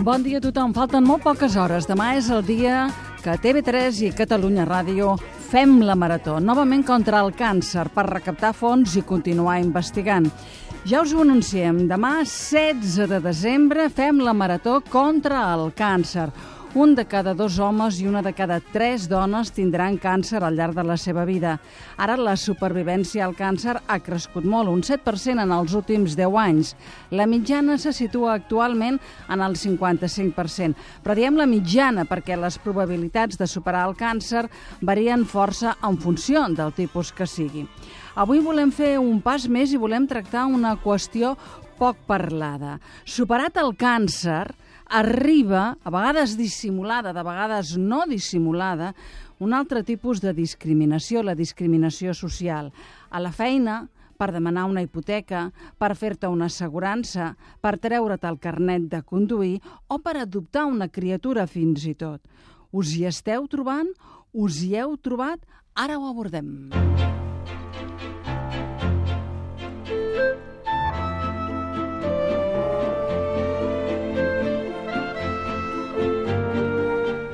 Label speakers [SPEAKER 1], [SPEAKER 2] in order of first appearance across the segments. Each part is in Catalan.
[SPEAKER 1] Bon dia a tothom. Falten molt poques hores. Demà és el dia que TV3 i Catalunya Ràdio fem la marató, novament contra el càncer, per recaptar fons i continuar investigant. Ja us ho anunciem, demà 16 de desembre fem la marató contra el càncer. Un de cada 2 homes i una de cada 3 dones tindran càncer al llarg de la seva vida. Ara la supervivència al càncer ha crescut molt, un 7% en els últims 10 anys. La mitjana se situa actualment en el 55%. Però diem la mitjana perquè les probabilitats de superar el càncer varien força en funció del tipus que sigui. Avui volem fer un pas més i volem tractar una qüestió poc parlada. Superat el càncer, arriba, a vegades dissimulada, de vegades no dissimulada, un altre tipus de discriminació, la discriminació social. A la feina, per demanar una hipoteca, per fer-te una assegurança, per treure't el carnet de conduir o per adoptar una criatura fins i tot. Us hi esteu trobant? Us hi heu trobat? Ara ho abordem.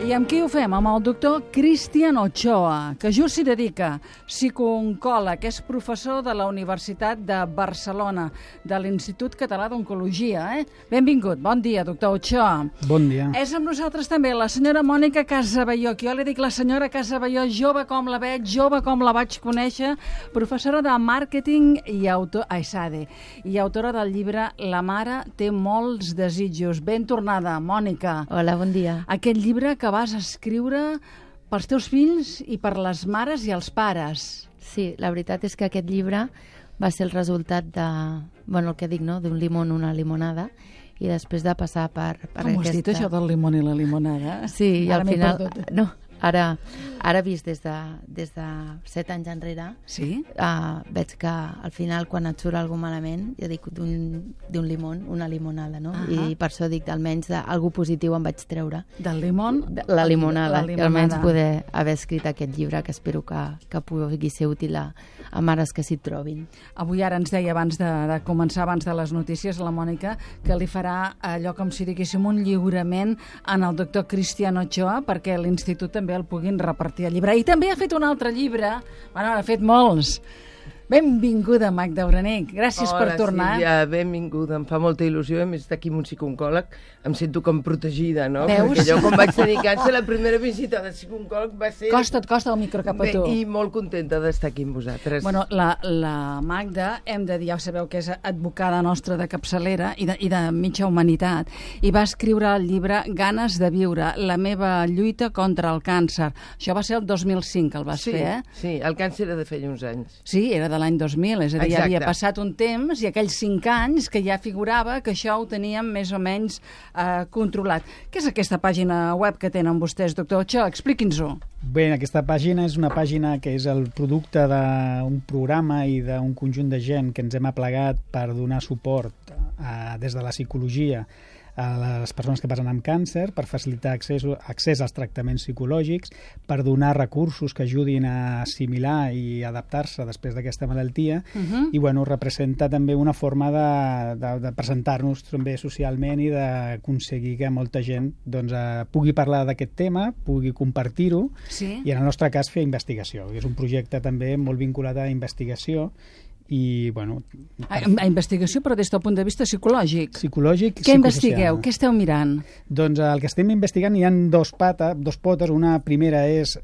[SPEAKER 1] I amb qui ho fem? Amb el doctor Cristian Ochoa, que just s'hi dedica, psicooncòleg, és professor de la Universitat de Barcelona, de l'Institut Català d'Oncologia. Benvingut, bon dia, doctor Ochoa.
[SPEAKER 2] Bon dia.
[SPEAKER 1] És amb nosaltres també la senyora Mònica Casabelló, que jo li dic la senyora Casabelló, jove com la veig, jove com la vaig conèixer, professora de màrqueting i autora del llibre La mare té molts desitjos. Ben tornada, Mònica.
[SPEAKER 3] Hola, bon dia.
[SPEAKER 1] Aquest llibre que vas escriure pels teus fills i per les mares i els pares.
[SPEAKER 3] Sí, la veritat és que aquest llibre va ser el resultat de, el que dic, no?, d'un limón, una limonada, i després de passar per
[SPEAKER 1] aquesta... Com ho has dit, això del limón i la limonada?
[SPEAKER 3] Sí, i al final... No, ara vist des de 7 anys enrere,
[SPEAKER 1] sí?
[SPEAKER 3] Veig que al final, quan et surt alguna malament, jo dic d'un limón, una limonada, no? I per això dic, almenys algú positiu em vaig treure.
[SPEAKER 1] Del limón?
[SPEAKER 3] La limonada. I almenys poder haver escrit aquest llibre, que espero que pugui ser útil a mares que s'hi trobin.
[SPEAKER 1] Avui ara ens deia, abans de començar, abans de les notícies, la Mònica, que li farà allò com si diguéssim un lliurament en el doctor Cristian Ochoa, perquè l'Institut també el puguin repartir el llibre. I també ha fet un altre llibre, ha fet molts. Benvinguda, Magda Orenich. Gràcies per tornar.
[SPEAKER 4] Hola, Sílvia, benvinguda. Em fa molta il·lusió. A més, d'aquí amb un psicooncòleg em sento com protegida, no?
[SPEAKER 1] Veus?
[SPEAKER 4] Perquè jo, quan vaig tenir càncer, la primera visita del psicooncòleg va ser...
[SPEAKER 1] Costa el micro cap a tu.
[SPEAKER 4] I molt contenta d'estar aquí amb vosaltres.
[SPEAKER 1] Bueno, la Magda, hem de dir, ja sabeu que és advocada nostra de capçalera i de mitja humanitat, i va escriure el llibre Ganes de viure, la meva lluita contra el càncer. Això va ser el 2005 que el vas fer, eh?
[SPEAKER 4] Sí, el càncer era de feia uns anys.
[SPEAKER 1] Sí, era de l'any 2000, és a dir, ja havia passat un temps i aquells 5 anys que ja figurava que això ho teníem més o menys controlat. Què és aquesta pàgina web que tenen vostès, doctor Ochoa? Expliqui'ns-ho.
[SPEAKER 2] Bé, aquesta pàgina és una pàgina que és el producte d'un programa i d'un conjunt de gent que ens hem aplegat per donar suport des de la psicologia a les persones que passen amb càncer, per facilitar accés als tractaments psicològics, per donar recursos que ajudin a assimilar i adaptar-se després d'aquesta malaltia, i representa també una forma de presentar-nos també socialment i d'aconseguir que molta gent pugui parlar d'aquest tema, pugui compartir-ho, i en el nostre cas fer investigació. És un projecte també molt vinculat a investigació, i,
[SPEAKER 1] a investigació, però des del punt de vista psicològic.
[SPEAKER 2] Psicològic i
[SPEAKER 1] què investigueu? Què esteu mirant?
[SPEAKER 2] Doncs el que estem investigant hi ha dos potes. Una primera és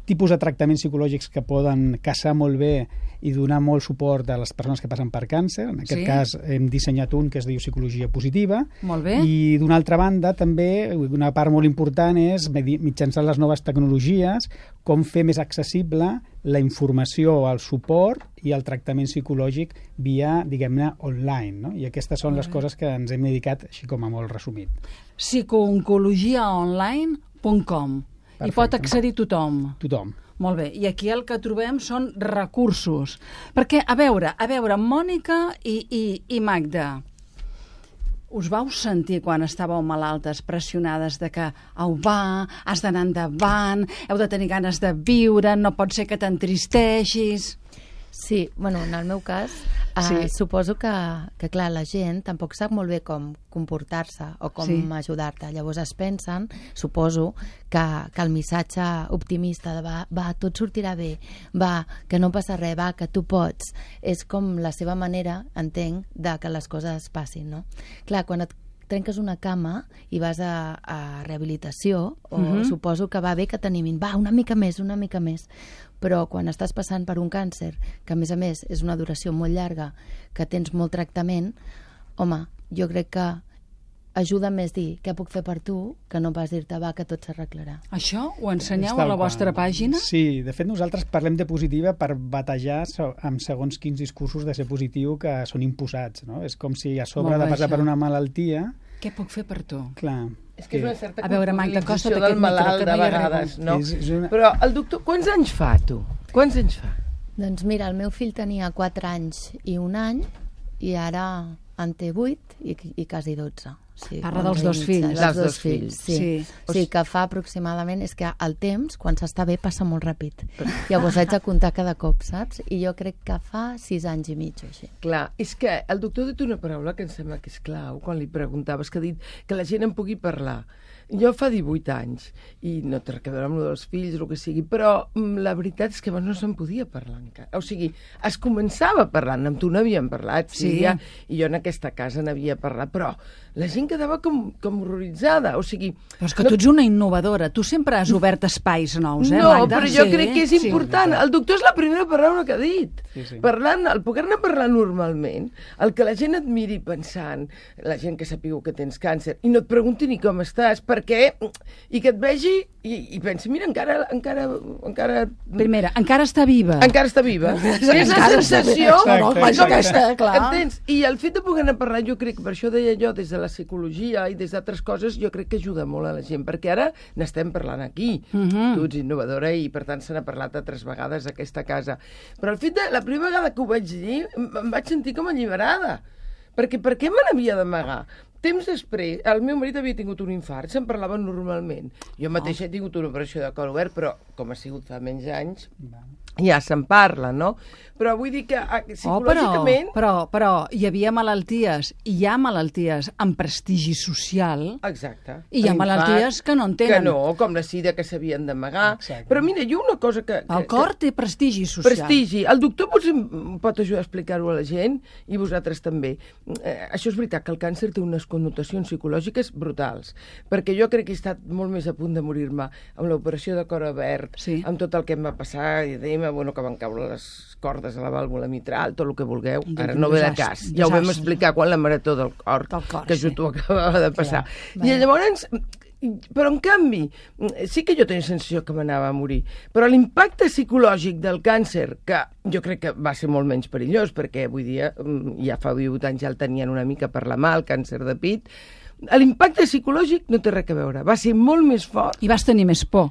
[SPEAKER 2] tipus de tractaments psicològics que poden casar molt bé i donar molt suport a les persones que passen per càncer. En aquest cas hem dissenyat un que es diu psicologia positiva.
[SPEAKER 1] Molt bé.
[SPEAKER 2] I d'una altra banda també una part molt important és mitjançant les noves tecnologies com fer més accessible la informació, el suport i el tractament psicològic via, diguem-ne, online, no? I aquestes són les coses que ens hem dedicat així com a molt resumit.
[SPEAKER 1] psicooncologiaonline.com. Hi pot accedir tothom.
[SPEAKER 2] Tothom.
[SPEAKER 1] Molt bé, i aquí el que trobem són recursos. Perquè, a veure, Mònica i Magda, us vau sentir quan estàveu malaltes, pressionades de que au va, has d'anar endavant, heu de tenir ganes de viure, no pot ser que t'entristeixis...
[SPEAKER 3] Sí, en el meu cas Suposo que, clar, la gent tampoc sap molt bé com comportar-se o com ajudar-te. Llavors es pensen, suposo, que el missatge optimista de va, tot sortirà bé, va, que no passa res, va, que tu pots, és com la seva manera, entenc, de que les coses passin, no? Clar, quan et trenques una cama i vas a rehabilitació, suposo que va bé que t'animin, va, una mica més, però quan estàs passant per un càncer, que a més és una duració molt llarga, que tens molt tractament, home, jo crec que ajuda més dir què puc fer per tu que no pas dir-te va, que tot s'arreglarà.
[SPEAKER 1] Això ho ensenyeu a la vostra pàgina?
[SPEAKER 2] Sí, de fet nosaltres parlem de positiva per batejar amb segons quins discursos de ser positiu que són imposats, no? És com si a sobre de passar per una malaltia...
[SPEAKER 1] Què puc fer per tu?
[SPEAKER 2] Clar.
[SPEAKER 4] És que és una certa
[SPEAKER 1] culpabilització
[SPEAKER 4] del malalt de vegades, no? Però el doctor, quants anys fa, tu? Quants anys fa?
[SPEAKER 3] Doncs mira, el meu fill tenia 4 anys i 1 any i ara en té 8 i quasi 12. Sí,
[SPEAKER 1] parla dels dos fills.
[SPEAKER 3] Dels dos fills, sí. Sí, que fa aproximadament... És que el temps, quan s'està bé, passa molt ràpid. Llavors haig de comptar cada cop, saps? I jo crec que fa 6 anys i mig o així.
[SPEAKER 4] Clar, és que el doctor ha dit una paraula que em sembla que és clau, quan li preguntaves, que ha dit que la gent en pugui parlar. Jo fa 18 anys, i no té res a veure amb el dels fills, el que sigui, però la veritat és que abans no se'n podia parlar encara. O sigui, es començava parlant, amb tu n'havíem parlat, Sílvia, i jo en aquesta casa n'havia parlat, però la gent quedava com horroritzada, o sigui...
[SPEAKER 1] Però és que tu ets una innovadora, tu sempre has obert espais nous,
[SPEAKER 4] No, Magda? Però jo crec que és important. El doctor és la primera paraula que ha dit. Parlant, el poder-ne parlar normalment, el que la gent et miri pensant, la gent que sàpiga que tens càncer, i no et pregunti ni com estàs, perquè, i que et vegi i pensi, mira, encara...
[SPEAKER 1] Primera, encara està viva.
[SPEAKER 4] Encara està viva. És la sensació...
[SPEAKER 1] Entens?
[SPEAKER 4] I el fet de poder-ne parlar, jo crec, per això deia jo, des de la psicologia i des d'altres coses, jo crec que ajuda molt a la gent, perquè ara n'estem parlant aquí. Tu ets innovadora i, per tant, se n'ha parlat altres vegades a aquesta casa. Però el fet de... La primera vegada que ho vaig dir, em vaig sentir com alliberada. Perquè per què me n'havia d'amagar? Temps després, el meu marit havia tingut un infart, se'n parlava normalment. Jo mateixa he tingut una operació de cor obert, però com ha sigut fa menys anys, ja se'n parla, no? Però vull dir que psicològicament...
[SPEAKER 1] Però hi havia malalties, i hi ha malalties amb prestigi social.
[SPEAKER 4] Exacte.
[SPEAKER 1] I hi ha malalties que no en tenen.
[SPEAKER 4] Que no, com la sida, que s'havien d'amagar. Però mira, jo una cosa que...
[SPEAKER 1] El cor té prestigi social.
[SPEAKER 4] Prestigi. El doctor potser pot ajudar a explicar-ho a la gent, i vosaltres també. Això és veritat, que el càncer té unes connotacions psicològiques brutals, perquè jo crec que he estat molt més a punt de morir-me amb l'operació de cor obert, amb tot el que em va passar, i dèiem, bueno, que van caure les cordes a la vàlvula mitral, tot el que vulgueu. Ara no ve de cas. Ja ho vam explicar quan la marató del cor, que jo t'ho acabava de passar. I llavors... Però, en canvi, sí que jo tenia sensació que m'anava a morir, però l'impacte psicològic del càncer, que jo crec que va ser molt menys perillós, perquè avui dia, ja fa 18 anys ja el tenien una mica per la mà, el càncer de pit, l'impacte psicològic no té res a veure, va ser molt més fort.
[SPEAKER 1] I vas tenir més por.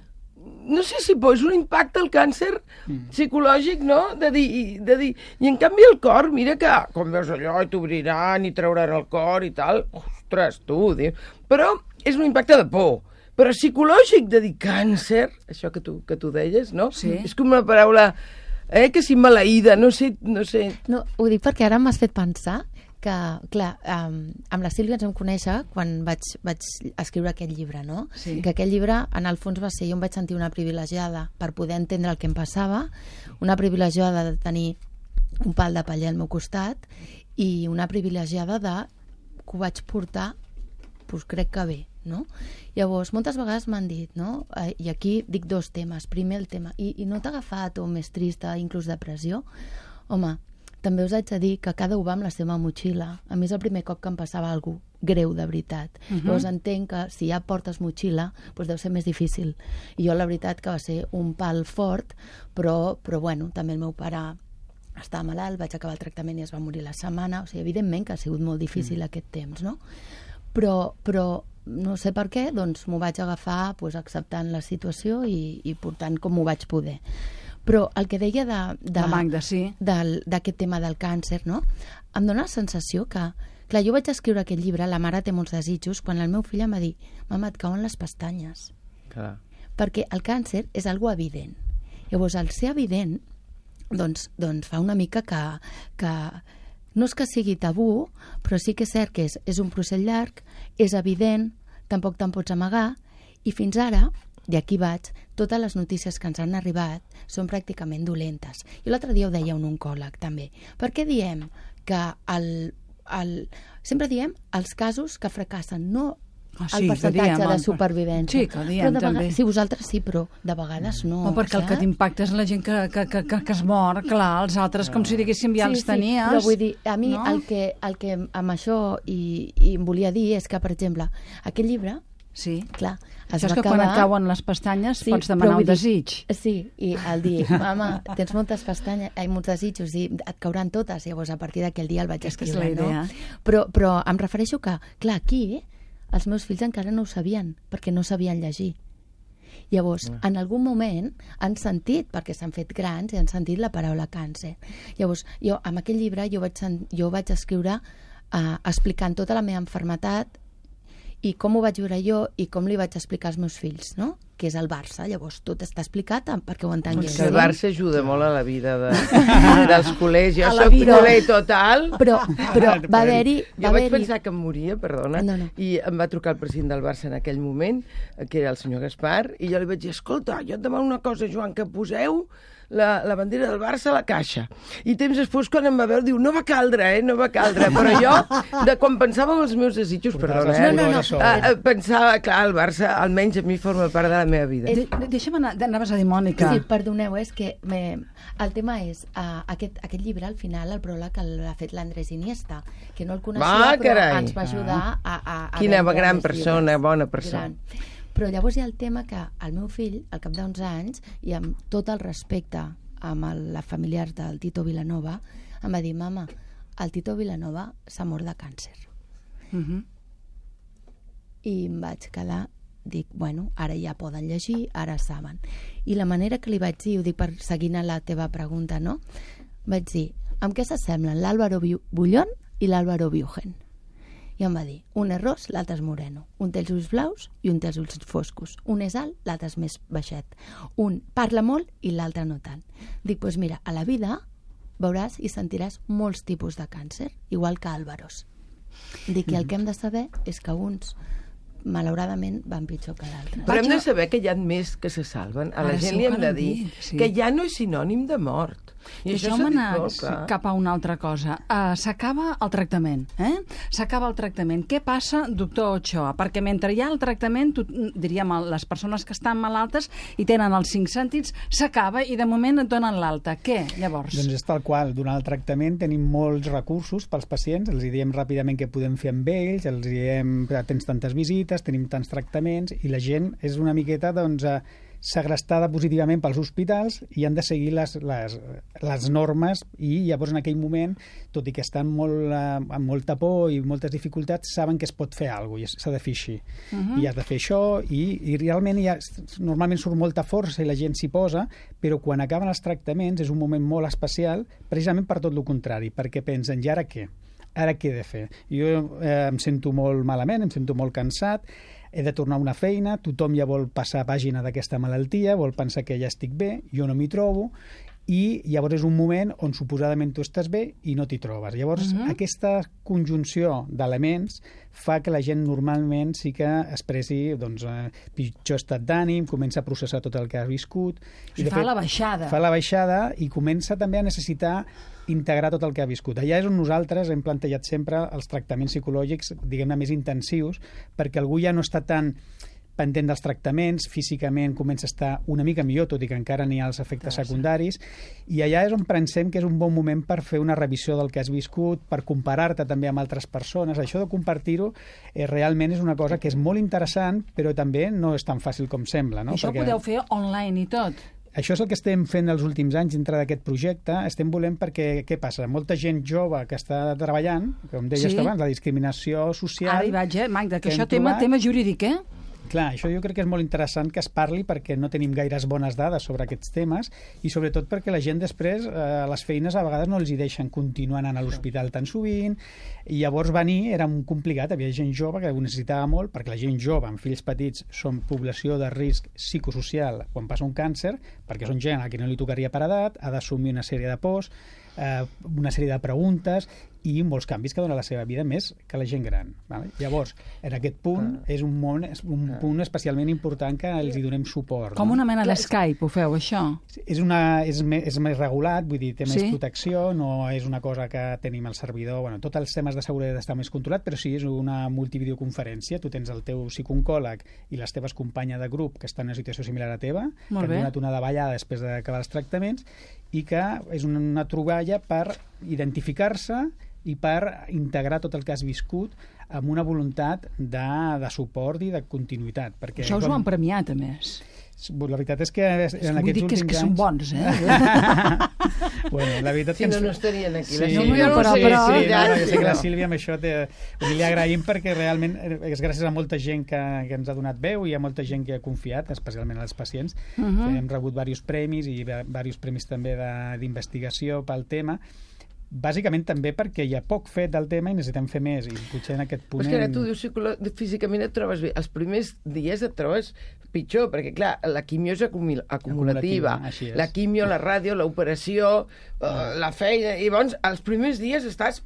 [SPEAKER 4] No sé si és un impacte al càncer psicològic, no? De dir... I en canvi el cor, mira que quan veus allò i t'obriran i trauran el cor i tal, ostres, tu, però és un impacte de por. Però psicològic, de dir càncer, això que tu deies, no?
[SPEAKER 1] Sí.
[SPEAKER 4] És com una paraula, que si maleïda, no sé...
[SPEAKER 3] No, ho dic perquè ara m'has fet pensar que, clar, amb la Sílvia ens vam conèixer quan vaig escriure aquest llibre, no?
[SPEAKER 1] Sí.
[SPEAKER 3] Que aquest llibre, en el fons, va ser... Jo em vaig sentir una privilegiada per poder entendre el que em passava, una privilegiada de tenir un pal de paller al meu costat i una privilegiada de que ho vaig portar, doncs crec que bé, no? Llavors, moltes vegades m'han dit, no? I aquí dic 2 temes. Primer el tema, i no t'ha agafat o més trista, inclús depressió? Home, també us haig de dir que cada un va amb la seva motxilla. A mi és el primer cop que em passava alguna cosa greu, de veritat. Llavors entenc que si ja portes motxilla, doncs deu ser més difícil. I jo la veritat que va ser un pal fort, però bueno, també el meu pare estava malalt, vaig acabar el tractament i es va morir la setmana. O sigui, evidentment que ha sigut molt difícil aquest temps, no? Però no sé per què, doncs m'ho vaig agafar acceptant la situació i portant com ho vaig poder. Però el que deia
[SPEAKER 1] la Magda, sí,
[SPEAKER 3] d'aquest tema del càncer, no? Em dóna la sensació que, clar, jo vaig escriure aquest llibre, La mare té molts desitjos, quan el meu fill em va dir, mama, et cauen les pestanyes.
[SPEAKER 4] Clar.
[SPEAKER 3] Perquè el càncer és algo evident. Llavors, al ser evident, doncs fa una mica que no és que sigui tabú, però sí que és cert que és un procés llarg, és evident, tampoc te'n pots amagar, i fins ara, i aquí vaig, totes les notícies que ens han arribat són pràcticament dolentes. I l'altre dia ho deia un oncòleg, també. Per què diem que sempre diem els casos que fracassen, no el percentatge de supervivència.
[SPEAKER 1] Sí, que diem també.
[SPEAKER 3] Sí, vosaltres sí, però de vegades no.
[SPEAKER 1] Perquè el que t'impacta és la gent que es mor, clar, els altres com si diguéssim ja els tenies.
[SPEAKER 3] Però vull dir, a mi el que amb això i em volia dir és que, per exemple, aquest llibre, clar,
[SPEAKER 1] això és que quan et cauen les pestanyes pots demanar un desig.
[SPEAKER 3] Sí, i el dir, mama, tens moltes pestanyes, molts desitjos, i et cauran totes, llavors a partir d'aquell dia el vaig escriure, no? Però em refereixo que, clar, aquí els meus fills encara no ho sabien, perquè no sabien llegir. Llavors, en algun moment han sentit, perquè s'han fet grans, i han sentit la paraula càncer. Llavors, jo, amb aquell llibre, jo vaig escriure explicant tota la meva malaltia i com ho vaig viure jo i com li vaig explicar als meus fills, no? Que és el Barça. Llavors, tot està explicat perquè ho entengués.
[SPEAKER 4] El Barça ajuda molt a la vida dels col·legis. Jo soc culer total.
[SPEAKER 3] Però va haver-hi...
[SPEAKER 4] Jo vaig pensar que em moria, perdona, i em va trucar el president del Barça en aquell moment, que era el senyor Gaspar, i jo li vaig dir, escolta, jo et demano una cosa, Joan, que poseu la bandera del Barça a la caixa. I temps després, quan em va veure, diu, no va caldre, no va caldre. Però jo, quan pensava en els meus desitjos, perdona, pensava, clar, el Barça almenys a mi forma part de la meva vida.
[SPEAKER 1] Deixa'm anar, anaves a dir, Mònica.
[SPEAKER 3] Sí, perdoneu, és que el tema és aquest llibre, al final, el pròleg l'ha fet l'Andrés Iniesta, que no el coneixia, però ens va ajudar a...
[SPEAKER 4] Quina gran persona, bona persona.
[SPEAKER 3] Però llavors hi ha el tema que el meu fill, al cap d'uns anys, i amb tot el respecte amb la familiar del Tito Vilanova, em va dir, mama, el Tito Vilanova s'ha mort de càncer. I em vaig quedar, dic, bueno, ara ja poden llegir, ara saben. I la manera que li vaig dir, ho dic per seguint a la teva pregunta, no? Vaig dir, amb què s'assemblen l'Álvaro Bullón i l'Álvaro Biugen? I em va dir, un és ros, l'altre és moreno. Un té els ulls blaus i un té els ulls foscos. Un és alt, l'altre és més baixet. Un parla molt i l'altre no tant. Dic, doncs mira, a la vida veuràs i sentiràs molts tipus de càncer, igual que Álvaros. Dic, i el que hem de saber és que uns, malauradament, van pitjor que d'altres.
[SPEAKER 4] Però hem de saber que hi ha més que se salven. A la gent li hem de dir que ja no és sinònim de mort.
[SPEAKER 1] I això m'ha anat cap a una altra cosa. S'acaba el tractament, S'acaba el tractament. Què passa, doctor Ochoa? Perquè mentre hi ha el tractament, diríem, les persones que estan malaltes i tenen els 5 sentits, s'acaba i de moment et donen l'alta. Què, llavors?
[SPEAKER 2] Doncs és tal qual. Durant el tractament tenim molts recursos pels pacients, els diem ràpidament què podem fer amb ells, els diem, tens tantes visites, tenim tants tractaments, i la gent és una miqueta, doncs, segrestada positivament pels hospitals i han de seguir les normes, i llavors en aquell moment, tot i que estan amb molta por i moltes dificultats, saben que es pot fer alguna cosa i s'ha de fer així. I has de fer això, i realment normalment surt molta força i la gent s'hi posa, però quan acaben els tractaments és un moment molt especial, precisament per tot el contrari, perquè pensen, i ara què? Ara què he de fer? Jo em sento molt malament, em sento molt cansat, he de tornar a una feina, tothom ja vol passar pàgina d'aquesta malaltia, vol pensar que ja estic bé, jo no m'hi trobo, i llavors és un moment on suposadament tu estàs bé i no t'hi trobes. Llavors, aquesta conjunció d'elements fa que la gent normalment sí que expressi pitjor estat d'ànim, comença a processar tot el que ha viscut.
[SPEAKER 1] Fa la baixada.
[SPEAKER 2] Fa la baixada i comença també a necessitar integrar tot el que ha viscut. Allà és on nosaltres hem plantejat sempre els tractaments psicològics, diguem-ne, més intensius, perquè algú ja no està tan pendent dels tractaments, físicament comença a estar una mica millor, tot i que encara n'hi ha els efectes secundaris, i allà és on pensem que és un bon moment per fer una revisió del que has viscut, per comparar-te també amb altres persones. Això de compartir-ho realment és una cosa que és molt interessant, però també no és tan fàcil com sembla. No?
[SPEAKER 1] Això ho podeu fer online i tot.
[SPEAKER 2] Això és el que estem fent els últims anys dintre d'aquest projecte. Estem volent perquè, què passa? Molta gent jove que està treballant, com deies abans, la discriminació social...
[SPEAKER 1] Ara hi vaig, Magda, que això tema jurídic,
[SPEAKER 2] Clar, això jo crec que és molt interessant que es parli perquè no tenim gaires bones dades sobre aquests temes i sobretot perquè la gent després les feines a vegades no els hi deixen continuar anant a l'hospital tan sovint i llavors venir era complicat, havia gent jove que ho necessitava molt perquè la gent jove amb fills petits són població de risc psicosocial quan passa un càncer perquè són gent a qui no li tocaria per edat, ha d'assumir una sèrie de pors, una sèrie de preguntes i molts canvis que dona la seva vida més que la gent gran. Vale? Llavors, en aquest punt és un punt especialment important que els hi donem suport.
[SPEAKER 1] Com una mena d'Skype ho feu, això?
[SPEAKER 2] És més regulat, vull dir, té més protecció, no és una cosa que tenim al servidor, bueno, tots els temes de seguretat estan més controlat, però sí, és una multivideoconferència, tu tens el teu psicooncòleg i les teves companyes de grup que estan en una situació similar a teva, que han donat una davallada després d'acabar els tractaments, i que és una troballa per identificar-se i per integrar tot el que has viscut amb una voluntat de suport i de continuïtat. Perquè,
[SPEAKER 1] això us ho han premiat, a més.
[SPEAKER 2] La veritat és que en aquests últims anys...
[SPEAKER 1] que són bons, eh?
[SPEAKER 2] Bueno, la veritat
[SPEAKER 4] si
[SPEAKER 2] que
[SPEAKER 4] no, no estarien aquí. La
[SPEAKER 2] Sílvia
[SPEAKER 4] no
[SPEAKER 2] sé que la Sílvia amb això li agraïm, perquè realment és gràcies a molta gent que ens ha donat veu i a molta gent que ha confiat, especialment als pacients, que hem rebut diversos premis i diversos premis també d'investigació pel tema, bàsicament també perquè hi ha poc fet del tema i necessitem fer més, i potser en aquest punt...
[SPEAKER 4] Però és que ara tu dius físicament et trobes bé. Els primers dies et trobes pitjor, perquè clar, la quimio és acumulativa. La quimio, la ràdio, l'operació, la feina, i llavors els primers dies estàs...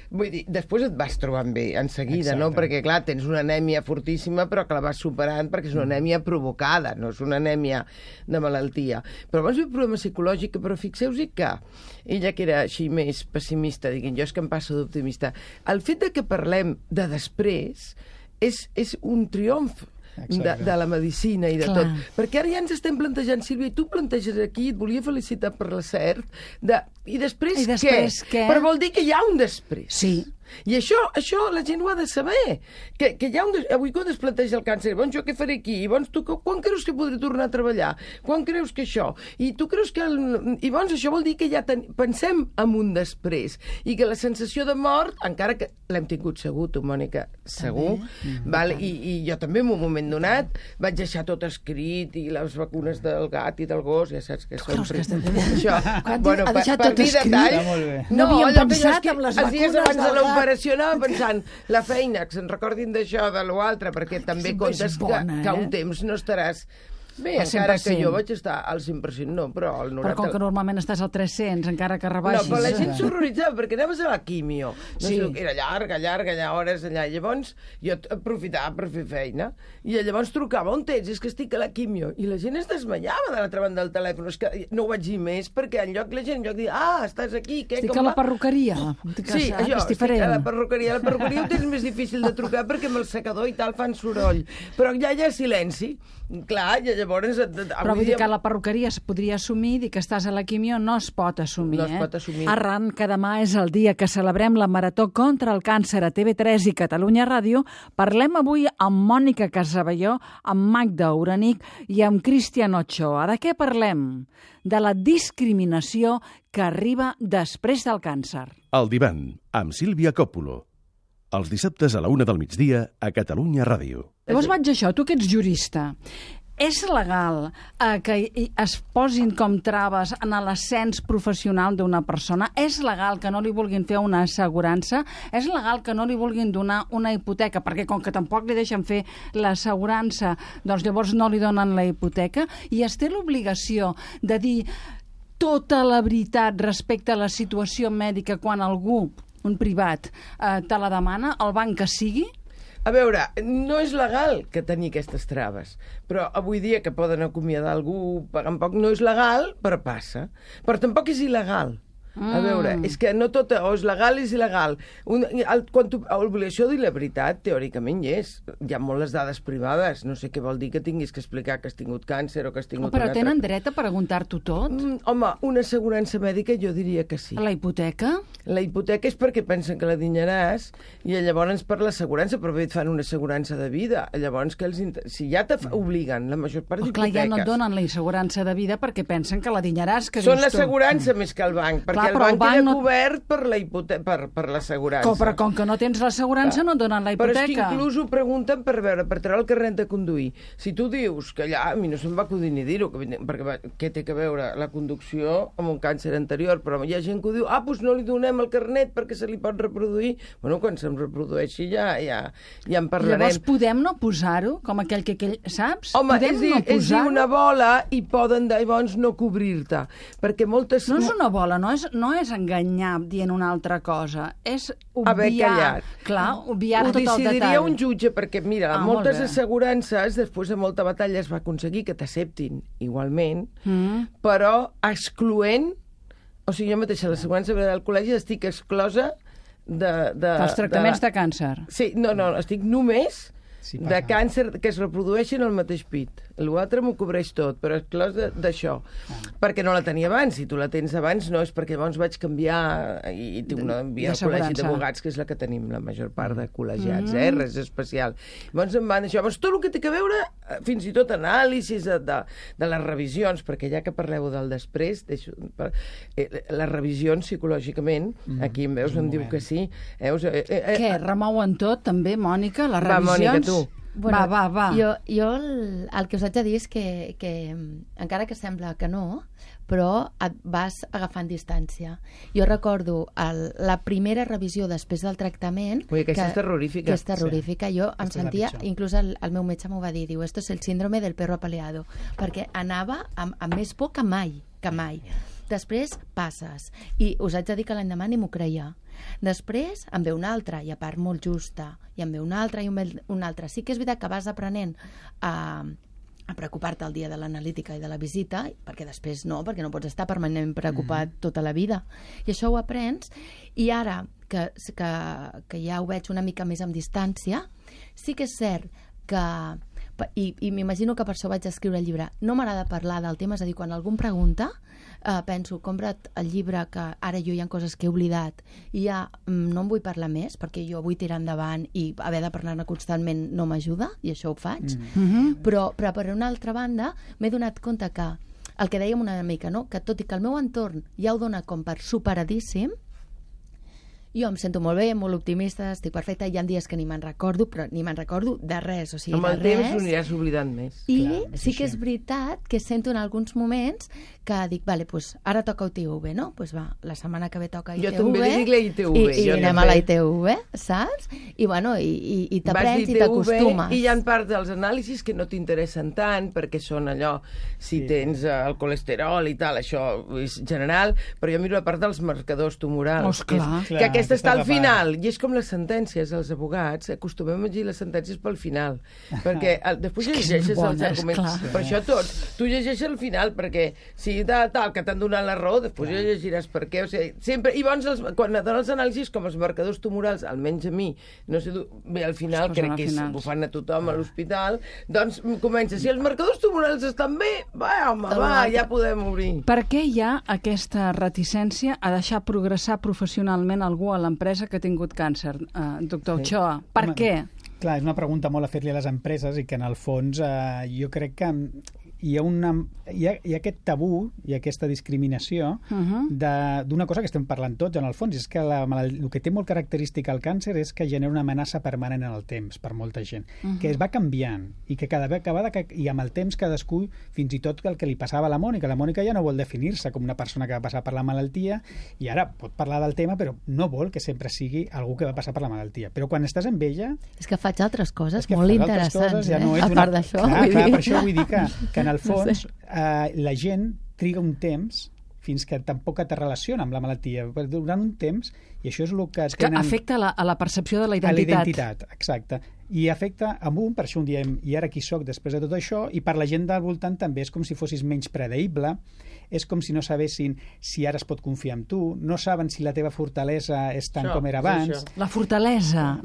[SPEAKER 4] Vull dir, després et vas trobant bé, en seguida, no? Perquè, clar, tens una anèmia fortíssima, però que la vas superant perquè és una anèmia provocada, no és una anèmia de malaltia. Però abans ve un problema psicològic, però fixeu-vos que ella, que era així més pessimista, diguin, jo és que em passo d'optimista, el fet de que parlem de després és un triomf de la medicina i de tot. Perquè ara ja ens estem plantejant, Sílvia, i tu planteges aquí, et volia felicitar per l'acert, i després què? Però vol dir que hi ha un després.
[SPEAKER 1] Sí.
[SPEAKER 4] I això la gent ho ha de saber, que hi ha avui quan es planteja el càncer, doncs jo què faré aquí? I doncs tu quan creus que podré tornar a treballar? Quan creus que això? I tu creus que... I doncs això vol dir que ja pensem en un després, i que la sensació de mort, encara que l'hem tingut segur, tu, Mònica, segur, val? I jo també en un moment donat vaig deixar tot escrit, i les vacunes del gat i del gos, ja saps que són... Això, bueno, per dir detall...
[SPEAKER 1] No havíem pensat en les vacunes
[SPEAKER 4] l'operació anava pensant la feina, que se'n recordin d'això, de l'altre, perquè també comptes que un temps no estaràs... Bé, encara que jo vaig estar al 100%, no, però al 90%...
[SPEAKER 1] Però com que normalment estàs al 300, encara que rebaixis...
[SPEAKER 4] No, però la gent s'horroritzava, perquè anaves a la quimio. No sé, era llarga, allà, hores allà. Llavors, jo aprofitava per fer feina, i llavors trucava, on ets? És que estic a la quimio. I la gent es desmaiava de l'altra banda del telèfon. És que no ho vaig dir més, perquè la gent de dir, estàs aquí, què?
[SPEAKER 1] Estic a la perruqueria.
[SPEAKER 4] Sí, això, estic a la perruqueria. La perruqueria ho tens més difícil de trucar, perquè amb el secador i tal fan soroll. Però allà hi ha silenci. Clar, i llavors...
[SPEAKER 1] Però vull dir que la perruqueria es podria assumir, dir que estàs a la quimio no es pot assumir.
[SPEAKER 4] No es pot assumir.
[SPEAKER 1] Arran que demà és el dia que celebrem la Marató contra el Càncer a TV3 i Catalunya Ràdio, parlem avui amb Mònica Casabelló, amb Magda Uranic i amb Cristian Ochoa. De què parlem? De la discriminació que arriba després del càncer.
[SPEAKER 5] El divan, amb Sílvia Còpolo. Els dissabtes a la 1 del migdia a Catalunya Ràdio.
[SPEAKER 1] Llavors vaig a això, tu que ets jurista. És legal que es posin com traves en l'ascens professional d'una persona? És legal que no li vulguin fer una assegurança? És legal que no li vulguin donar una hipoteca? Perquè com que tampoc li deixen fer l'assegurança, doncs llavors no li donen la hipoteca? I es té l'obligació de dir tota la veritat respecte a la situació mèdica quan algú, un privat, te la demana, el banc que sigui?
[SPEAKER 4] A veure, no és legal que tenir aquestes traves, però avui dia que poden acomiadar algú pagant poc, no és legal, però passa. Però tampoc és il·legal. A veure, és que no tot o és legal o és il·legal. L'obligació de dir la veritat, teòricament hi és. Hi ha moltes dades privades. No sé què vol dir que tinguis que explicar que has tingut càncer o que has tingut...
[SPEAKER 1] Però tenen dret a preguntar-t'ho tot?
[SPEAKER 4] Home, una assegurança mèdica jo diria que sí.
[SPEAKER 1] La hipoteca?
[SPEAKER 4] La hipoteca és perquè pensen que la dinyaràs i llavors per l'assegurança, però bé et fan una assegurança de vida. Llavors, si ja t'obliguen la major part d'hipoteques...
[SPEAKER 1] Clar, ja no et donen la assegurança de vida perquè pensen que la dinyaràs.
[SPEAKER 4] Són l'assegurança més que el banc, perquè el banc queda cobert per l'assegurança.
[SPEAKER 1] Però com que no tens l'assegurança no et donen la hipoteca.
[SPEAKER 4] Però és que inclús ho pregunten per treure el carnet de conduir. Si tu dius que allà, a mi no se'm va acudir ni dir-ho, perquè què té que veure la conducció amb un càncer anterior, però hi ha gent que ho diu, doncs no li donem el carnet perquè se li pot reproduir. Bueno, quan se'm reprodueixi ja en parlarem.
[SPEAKER 1] Llavors podem no posar-ho? Com aquell que saps?
[SPEAKER 4] Home, és dir una bola i poden llavors no cobrir-te. Perquè moltes...
[SPEAKER 1] No és una bola, no és no és enganyar dient una altra cosa, és
[SPEAKER 4] Haver
[SPEAKER 1] obviar...
[SPEAKER 4] callat.
[SPEAKER 1] Clar, obviar
[SPEAKER 4] Ho
[SPEAKER 1] tot el
[SPEAKER 4] decidiria
[SPEAKER 1] detall.
[SPEAKER 4] un jutge, perquè, mira,
[SPEAKER 1] Molt
[SPEAKER 4] moltes
[SPEAKER 1] bé.
[SPEAKER 4] assegurances, després de molta batalla, es va aconseguir que t'acceptin igualment, però excloent... O sigui, jo mateixa, l'assegurança del col·legi, estic exclosa
[SPEAKER 1] Els tractaments de càncer.
[SPEAKER 4] Sí, no, estic només
[SPEAKER 2] Sí,
[SPEAKER 4] de càncer que es reprodueixen al mateix pit. L'altre m'ho cobreix tot, però exclòs d'això. Perquè no la tenia abans. Si tu la tens abans, no és perquè llavors vaig canviar i tinc una via al col·legi d'advocats, que és la que tenim la major part de col·legiats, res especial. Llavors em van això. Llavors, tot el que té a veure, fins i tot anàlisis de les revisions, perquè ja que parleu del després, les revisions psicològicament, aquí em veus, em diu que sí.
[SPEAKER 1] Què, remouen tot, també, Mònica, les
[SPEAKER 4] Va, Mònica,
[SPEAKER 1] revisions?
[SPEAKER 4] tu.
[SPEAKER 3] Bueno,
[SPEAKER 1] va.
[SPEAKER 3] Jo el que us haig de dir és que encara que sembla que no, però et vas agafant distància. Jo recordo la primera revisió després del tractament...
[SPEAKER 4] Ui, aquesta és terrorífica.
[SPEAKER 3] Que és terrorífica. Jo em sentia... Inclús el meu metge m'ho va dir, diu, esto es el síndrome del perro apaleado, perquè anava amb més por que mai. Després passes, i us haig de dir que l'endemà ni m'ho creia. Després em ve una altra, i a part molt justa, i em ve una altra i una altra. Sí que és veritat que vas aprenent a preocupar-te el dia de l'analítica i de la visita, perquè després no, perquè no pots estar permanentment preocupat tota la vida. I això ho aprens, i ara que ja ho veig una mica més amb distància, sí que és cert que... I m'imagino que per això vaig escriure el llibre. No m'agrada parlar del tema, és a dir, quan algú em pregunta, penso, compra't el llibre, que ara jo hi ha coses que he oblidat i ja no en vull parlar més, perquè jo vull tirar endavant i haver de parlar-ne constantment no m'ajuda, i això ho faig. Però per una altra banda m'he donat compte que el que dèiem una mica, no? Que tot i que el meu entorn ja ho dona com per superadíssim, jo em sento molt bé, molt optimista, estic perfecta, hi ha dies que ni me'n recordo, però ni me'n recordo de res, o sigui,
[SPEAKER 4] amb el
[SPEAKER 3] de res.
[SPEAKER 4] temps ho aniràs oblidant més.
[SPEAKER 3] I sí que és veritat que sento en alguns moments que dic, vale, pues ara toca UTV, no? Pues va, la setmana que ve toca ITV.
[SPEAKER 4] Jo també li dic la ITV.
[SPEAKER 3] I anem a la ITV, saps? I bueno, i t'aprens i t'acostumes.
[SPEAKER 4] I hi ha part dels anàlisis que no t'interessen tant, perquè són allò, si tens el colesterol i tal, això és general, però jo miro la part dels marcadors tumorals. Que aquesta està al final, i és com les sentències, els advocats acostumem a llegir les sentències pel final, perquè després llegeixes els arguments, per això tots, tu llegeixes al final, perquè si tal que t'han donat la raó, després ja llegiràs per què, o sigui, sempre, i llavors quan donen els anàlisis, com els marcadors tumorals, almenys a mi, no sé, bé, al final, crec que ho fan a tothom a l'hospital, doncs comença, si els marcadors tumorals estan bé, va, home, va, ja podem obrir.
[SPEAKER 1] Per què hi ha aquesta reticència a deixar progressar professionalment algú a l'empresa que ha tingut càncer, doctor Ochoa? Per què?
[SPEAKER 2] Clar, és una pregunta molt a fer-li a les empreses i que en el fons jo crec que hi ha aquest tabú i aquesta discriminació d'una cosa que estem parlant tots en el fons, és que el que té molt característic el càncer és que genera una amenaça permanent en el temps per molta gent, que es va canviant i que cada vegada i amb el temps cadascú, fins i tot el que li passava a la Mònica ja no vol definir-se com una persona que va passar per la malaltia i ara pot parlar del tema però no vol que sempre sigui algú que va passar per la malaltia, però quan estàs amb ella...
[SPEAKER 3] És que faig altres coses molt interessants,
[SPEAKER 2] ja no
[SPEAKER 3] a part d'això.
[SPEAKER 2] Clar, per això vull dir que en el fons la gent triga un temps fins que tampoc te relaciona amb la malaltia. Durant un temps, i això és el que tenen...
[SPEAKER 1] Que afecta a la percepció de la identitat.
[SPEAKER 2] A la identitat, exacte. I afecta a un, per això un diem, i ara qui soc després de tot això, i per la gent del voltant també és com si fossis menys predeible, és com si no sabessin si ara es pot confiar en tu, no saben si la teva fortalesa és tant com era abans.
[SPEAKER 1] La fortalesa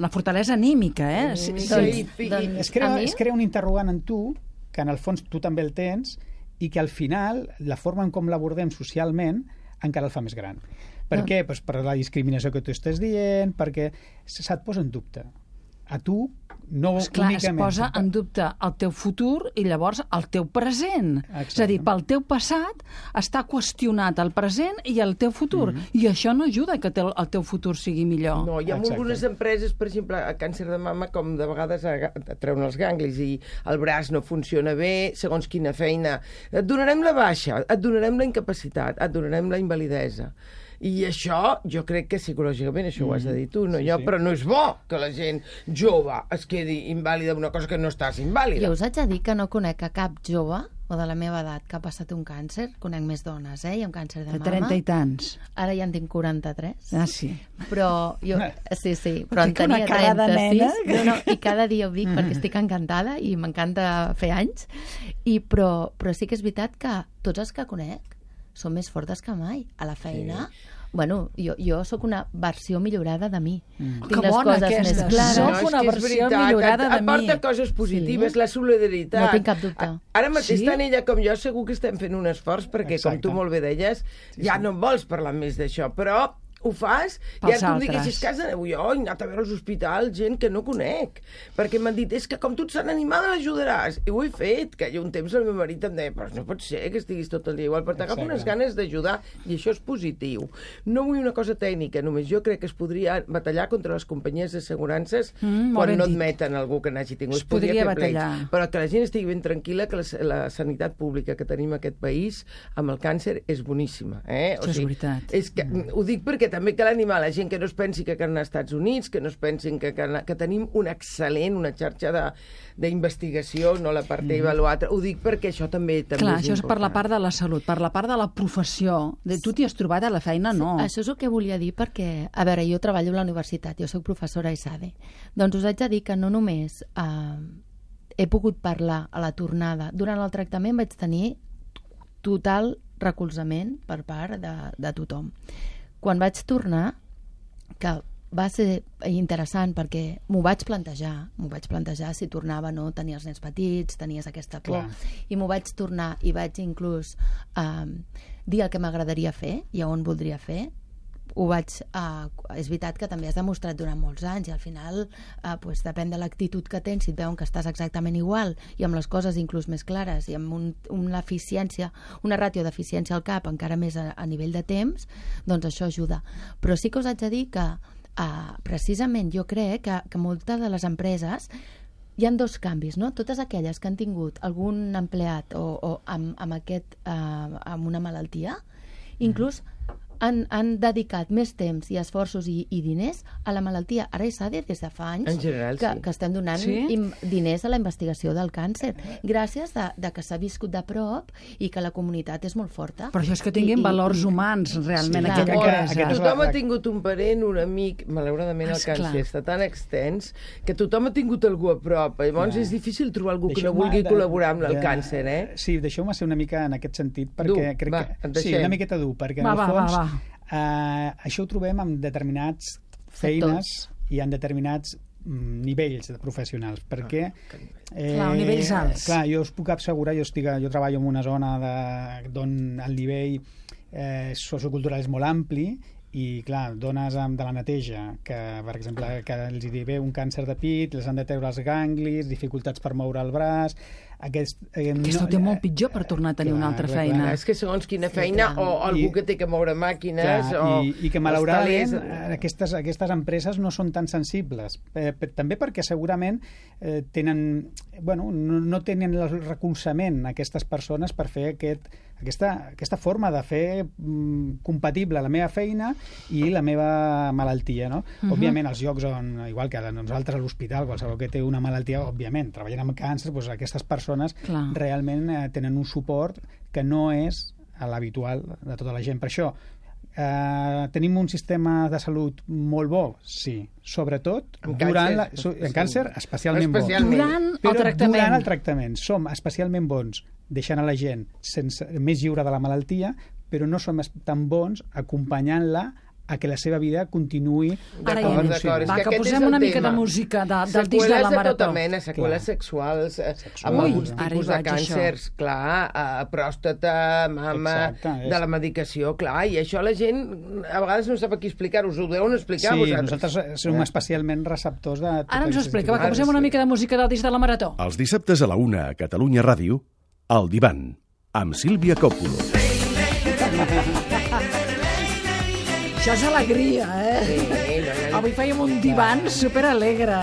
[SPEAKER 1] anímica,
[SPEAKER 2] Es crea un interrogant en tu, que en el fons tu també el tens, i que al final la forma en com l'abordem socialment encara el fa més gran. Per què? Pues per la discriminació que tu estàs dient, perquè se't posa en dubte. A tu no únicament...
[SPEAKER 1] Es posa en dubte el teu futur i llavors el teu present.
[SPEAKER 2] Exacte.
[SPEAKER 1] És a dir, pel teu passat està qüestionat el present i el teu futur. I això no ajuda que el teu futur sigui millor.
[SPEAKER 4] No, hi ha algunes empreses, per exemple, a càncer de mama, com de vegades treuen els ganglis i el braç no funciona bé, segons quina feina. Et donarem la baixa, et donarem la incapacitat, et donarem la invalidesa. I això, jo crec que psicològicament, això ho has de dir tu, no jo, però no és bo que la gent jove es quedi invàlida d'una cosa que no estàs invàlida.
[SPEAKER 3] Jo us haig de dir que no conec a cap jove, o o de la meva edat que ha passat un càncer, conec més dones, i amb càncer de
[SPEAKER 1] De
[SPEAKER 3] mama.
[SPEAKER 1] 30 i tants.
[SPEAKER 3] Ara ja en tinc 43.
[SPEAKER 1] Ah, sí.
[SPEAKER 3] Però jo, sí, però en
[SPEAKER 1] Tinc una
[SPEAKER 3] tenia
[SPEAKER 1] cara de
[SPEAKER 3] 36.
[SPEAKER 1] nena.
[SPEAKER 3] No, i cada dia ho dic perquè estic encantada i m'encanta fer anys. Però sí que és veritat que tots els que conec són més fortes que mai. A la feina... Sí. Bueno, jo sóc una versió millorada de mi. Tinc
[SPEAKER 1] Que
[SPEAKER 3] les
[SPEAKER 1] bona
[SPEAKER 3] coses
[SPEAKER 1] aquesta.
[SPEAKER 3] més clares.
[SPEAKER 1] Soc
[SPEAKER 4] No, és
[SPEAKER 1] una
[SPEAKER 4] que és
[SPEAKER 1] versió
[SPEAKER 4] veritat,
[SPEAKER 1] millorada de
[SPEAKER 4] et porta
[SPEAKER 1] mi.
[SPEAKER 4] coses positives,
[SPEAKER 3] Sí.
[SPEAKER 4] la solidaritat.
[SPEAKER 3] No tinc cap dubte.
[SPEAKER 4] Ara mateix,
[SPEAKER 1] Sí?
[SPEAKER 4] tant ella com jo, segur que estem fent un esforç, perquè, com
[SPEAKER 2] Exacte.
[SPEAKER 4] tu molt bé deies, ja no en vols parlar més d'això, però ho fas, i
[SPEAKER 1] Pels
[SPEAKER 4] ara tu em
[SPEAKER 1] altres.
[SPEAKER 4] diguessis que has d'anar jo, he anat a veure als hospitals gent que no conec, perquè m'han dit, és que com tu ets tan animada l'ajudaràs, i ho he fet, que hi ha un temps el meu marit em deia, però no pot ser que estiguis tot el dia igual, però t'agafa unes ganes d'ajudar, i això és positiu. No vull una cosa tècnica, només jo crec que es podria batallar contra les companyies d'assegurances
[SPEAKER 1] molt
[SPEAKER 4] quan
[SPEAKER 1] ben
[SPEAKER 4] no
[SPEAKER 1] dit.
[SPEAKER 4] admeten algú que n'hagi tingut.
[SPEAKER 1] Es podria
[SPEAKER 4] fer plecs,
[SPEAKER 1] batallar.
[SPEAKER 4] però que la gent estigui ben tranquil·la que la sanitat pública que tenim a aquest país amb el càncer és boníssima.
[SPEAKER 1] Això és veritat.
[SPEAKER 4] És que, ho dic perquè també cal animar la gent que no es pensi que cal anar als Estats Units, que no es pensin que tenim una xarxa d'investigació, no la part teva, l'altra. Ho dic perquè això també
[SPEAKER 1] Clar,
[SPEAKER 4] és
[SPEAKER 1] això és per la
[SPEAKER 4] important.
[SPEAKER 1] part de la salut, per la part de la professió. Tu t'hi has trobat a la feina? No.
[SPEAKER 3] Això és el que volia dir perquè, a veure, jo treballo a la universitat, jo sóc professora a ISADE. Doncs us haig de dir que no només he pogut parlar a la tornada. Durant el tractament vaig tenir total recolzament per part de tothom. Quan vaig tornar, que va ser interessant perquè m'ho vaig plantejar si tornava, no, tenies els nens petits, tenies aquesta por,
[SPEAKER 2] Clar.
[SPEAKER 3] i m'ho vaig tornar i vaig inclús dir el que m'agradaria fer i on voldria fer. És veritat que també has demostrat durant molts anys i al final pues, depèn de l'actitud que tens, si et veuen que estàs exactament igual i amb les coses inclús més clares i amb una eficiència, una ràtio d'eficiència al cap encara més a nivell de temps, doncs això ajuda. Però sí que us haig de dir que precisament jo crec que moltes de les empreses hi ha dos canvis, no? Totes aquelles que han tingut algun empleat o amb una malaltia, inclús han dedicat més temps i esforços i diners a la malaltia. Ara ISADE des de fa anys
[SPEAKER 4] En general, sí.
[SPEAKER 3] que estem donant diners a la investigació del càncer, gràcies de que s'ha viscut de prop i que la comunitat és molt forta.
[SPEAKER 1] Però això és que tinguin valors humans, realment,
[SPEAKER 3] Sí,
[SPEAKER 1] aquella
[SPEAKER 3] clar.
[SPEAKER 1] empresa.
[SPEAKER 4] Tothom ha tingut un parent, un amic, malauradament el
[SPEAKER 1] Esclar.
[SPEAKER 4] càncer està tan extens que tothom ha tingut algú a prop. Llavors és difícil trobar algú que no vulgui col·laborar amb el càncer,
[SPEAKER 2] Sí, deixeu-me ser una mica en aquest sentit, perquè crec
[SPEAKER 4] va,
[SPEAKER 2] que...
[SPEAKER 4] et
[SPEAKER 2] Sí,
[SPEAKER 4] deixem.
[SPEAKER 2] una miqueta dur, perquè en
[SPEAKER 1] Va,
[SPEAKER 2] el
[SPEAKER 1] va,
[SPEAKER 2] fons
[SPEAKER 1] va.
[SPEAKER 2] això ho trobem en determinats feines i en determinats nivells de professionals, perquè...
[SPEAKER 1] Clar, nivells alts.
[SPEAKER 2] Clar, jo us puc assegurar, jo treballo en una zona d'on el nivell sociocultural és molt ampli i, clar, dones de la neteja que, per exemple, que els hi ve un càncer de pit, les han de treure els ganglis, dificultats per moure el braç...
[SPEAKER 1] Aquesta ho té molt pitjor per tornar a tenir una altra feina.
[SPEAKER 4] És que segons quina feina, o algú que té que moure màquines,
[SPEAKER 2] i que malauradament
[SPEAKER 4] els talers...
[SPEAKER 2] aquestes empreses no són tan sensibles, també perquè segurament tenen, bueno, no tenen el recolzament aquestes persones per fer aquesta forma de fer compatible la meva feina i la meva malaltia, no? Òbviament, els llocs on, igual que nosaltres a l'hospital, qualsevol que té una malaltia, òbviament, treballant amb càncer, doncs aquestes persones realment tenen un suport que no és l'habitual de tota la gent. Per això, tenim un sistema de salut molt bo? Sí. Sobretot durant en càncer, especialment bo. Durant el tractament som especialment bons deixant a la gent més lliure de la malaltia, però no som tan bons acompanyant-la a que la seva vida continuï...
[SPEAKER 4] D'acord.
[SPEAKER 1] Va, que posem una mica de música del disc de la Marató.
[SPEAKER 4] Seqüeles de tota mena, seqüeles sexuals, amb alguns tipus de càncers, clar, pròstata, mama, de la medicació, clar, i això la gent a vegades no sap a qui explicar-ho, us ho deuen explicar vosaltres.
[SPEAKER 2] Sí, nosaltres som especialment receptors de...
[SPEAKER 1] Ara ens ho explica, va, que posem una mica de música del disc de la Marató.
[SPEAKER 5] Els dissabtes a la 1 a Catalunya Ràdio, El Divan, amb Sílvia Còpolo.
[SPEAKER 1] Això és alegria, Avui fèiem un divan superalegre,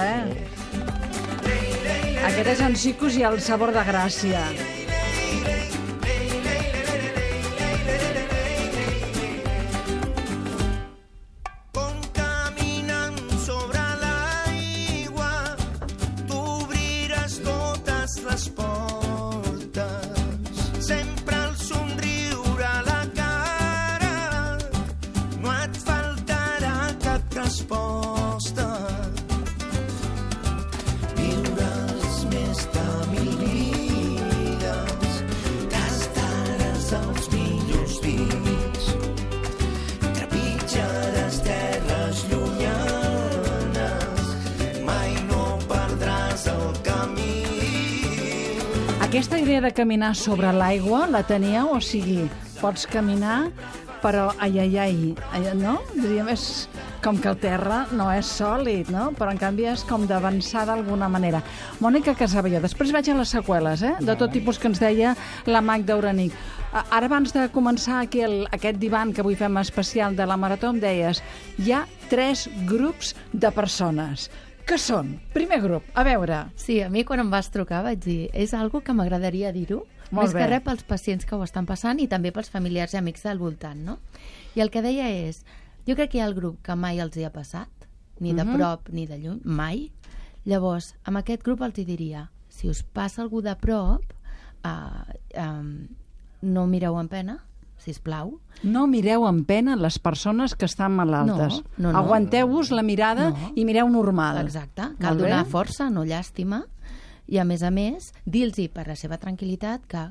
[SPEAKER 1] Aquest és en Sicus i el sabor de Gràcia.
[SPEAKER 6] Les portes et faltarà cap resposta. Viuràs més de 1000 vides, tastaràs els millors vins, trepitjaràs terres llunyanes, mai no perdràs el camí.
[SPEAKER 1] Aquesta idea de caminar sobre l'aigua la teníeu? O sigui, pots caminar, però no? Diríem, és com que el terra no és sòlid, no? Però en canvi és com d'avançar d'alguna manera. Mònica Casabelló, després vaig a les seqüeles, de tot tipus que ens deia la Magda Uranic. Ara, abans de començar aquí aquest divan que avui fem especial de la Marató, em deies, hi ha 3 grups de persones. Què són? Primer grup, a veure.
[SPEAKER 3] Sí, a mi quan em vas trucar vaig dir, és algo que m'agradaria dir-ho, més que res pels pacients que ho estan passant i també pels familiars i amics del voltant, no? I el que deia és, jo crec que hi ha el grup que mai els hi ha passat, ni de prop ni de lluny, mai. Llavors, amb aquest grup els hi diria, si us passa algú de prop, no mireu amb pena, sisplau.
[SPEAKER 1] No mireu amb pena les persones que estan malaltes.
[SPEAKER 3] No.
[SPEAKER 1] Aguanteu-vos la mirada i mireu normal.
[SPEAKER 3] Exacte. Cal donar força, no llàstima. I, a més, dir-los per la seva tranquil·litat que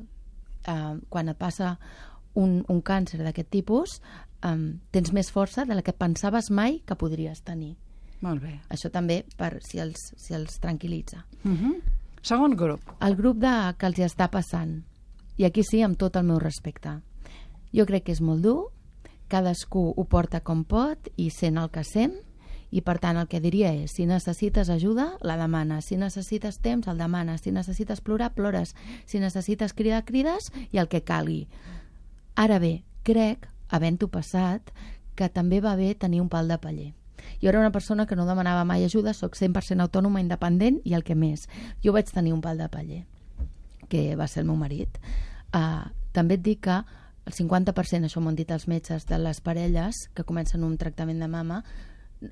[SPEAKER 3] quan et passa un càncer d'aquest tipus tens més força de la que pensaves mai que podries tenir.
[SPEAKER 1] Molt bé.
[SPEAKER 3] Això també per si els tranquil·litza.
[SPEAKER 1] Segon grup.
[SPEAKER 3] El grup que els hi està passant. I aquí sí, amb tot el meu respecte. Jo crec que és molt dur, cadascú ho porta com pot i sent el que sent, i per tant el que diria és, si necessites ajuda, la demanes, si necessites temps, el demanes, si necessites plorar, plores, si necessites cridar, crides, i el que calgui. Ara bé, crec, havent-ho passat, que també va bé tenir un pal de paller. Jo era una persona que no demanava mai ajuda, soc 100% autònoma, independent, i el que més. Jo vaig tenir un pal de paller, que va ser el meu marit. També et dic que el 50%, això m'ho han dit els metges, de les parelles que comencen un tractament de mama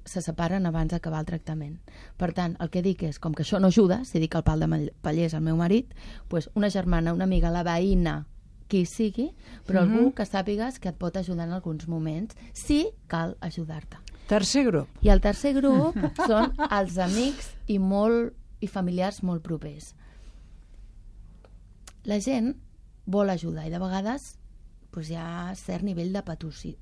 [SPEAKER 3] se separen abans d'acabar el tractament. Per tant, el que dic és, com que això no ajuda, si dic que el pal de paller és el meu marit, doncs una germana, una amiga, la veïna, qui sigui, però algú que sàpigues que et pot ajudar en alguns moments, si cal ajudar-te.
[SPEAKER 1] Tercer grup.
[SPEAKER 3] I el tercer grup són els amics i familiars molt propers. La gent vol ajudar i de vegades hi ha cert nivell de petosos.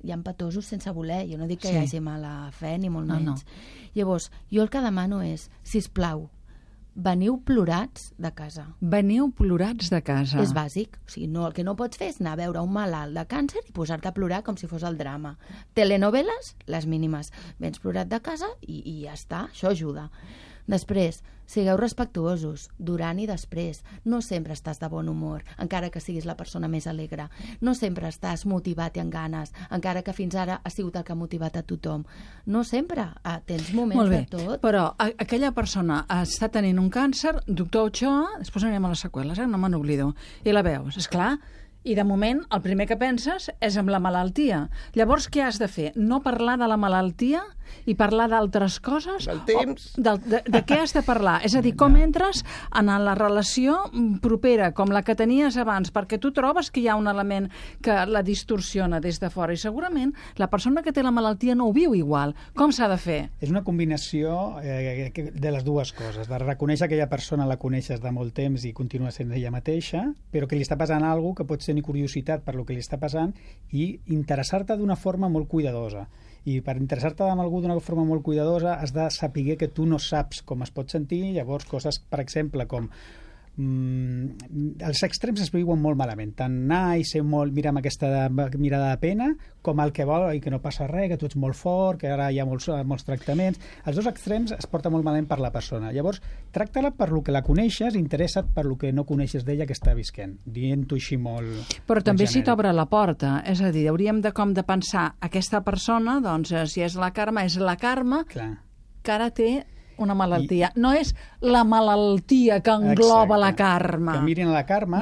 [SPEAKER 3] Hi ha petosos sense voler. Jo no dic que hi hagi mala fe, ni molt menys. Llavors, jo el que demano és, sisplau, veniu plorats de casa.
[SPEAKER 1] Veniu plorats de casa.
[SPEAKER 3] És bàsic. O sigui, el que no pots fer és anar a veure un malalt de càncer i posar-te a plorar com si fos el drama. Telenovel·les, les mínimes. Vens plorat de casa i ja està. Això ajuda. Després, sigueu respectuosos, durant i després. No sempre estàs de bon humor, encara que siguis la persona més alegre. No sempre estàs motivat i amb ganes, encara que fins ara has sigut el que ha motivat a tothom. No sempre. Tens moments de tot.
[SPEAKER 1] Però aquella persona està tenint un càncer, doctor Ochoa, després anirem a les seqüeles, no me n'oblido, i la veus, esclar. I de moment el primer que penses és en la malaltia. Llavors què has de fer? No parlar de la malaltia i parlar d'altres coses?
[SPEAKER 4] Del temps.
[SPEAKER 1] De què has de parlar? És a dir, com entres en la relació propera, com la que tenies abans, perquè tu trobes que hi ha un element que la distorsiona des de fora i segurament la persona que té la malaltia no ho viu igual. Com s'ha de fer?
[SPEAKER 2] És una combinació de les dues coses, de reconèixer que aquella persona la coneixes de molt temps i continua sent ella mateixa, però que li està passant alguna cosa que pot tenir curiositat per lo que li està passant i interessar-te d'una forma molt cuidadosa. I per interessar-te amb algú d'una forma molt cuidadosa has de saber que tu no saps com es pot sentir, llavors coses, per exemple, com els extrems es viuen molt malament, tant anar i ser molt, mirar amb aquesta mirada de pena, com el que vol i que no passa res, que tu ets molt fort, que ara hi ha molts tractaments. Els dos extrems es porta molt malament per la persona. Llavors, tracta-la per lo que la coneixes, interessa't per lo que no coneixes d'ella que està visquent, dient-ho així molt...
[SPEAKER 1] Però també si t'obre la porta, és a dir, hauríem de pensar aquesta persona, doncs, si és la Carme, és la Carme, que ara té una malaltia. No és la malaltia que engloba la Carme.
[SPEAKER 2] Que mirin a la Carme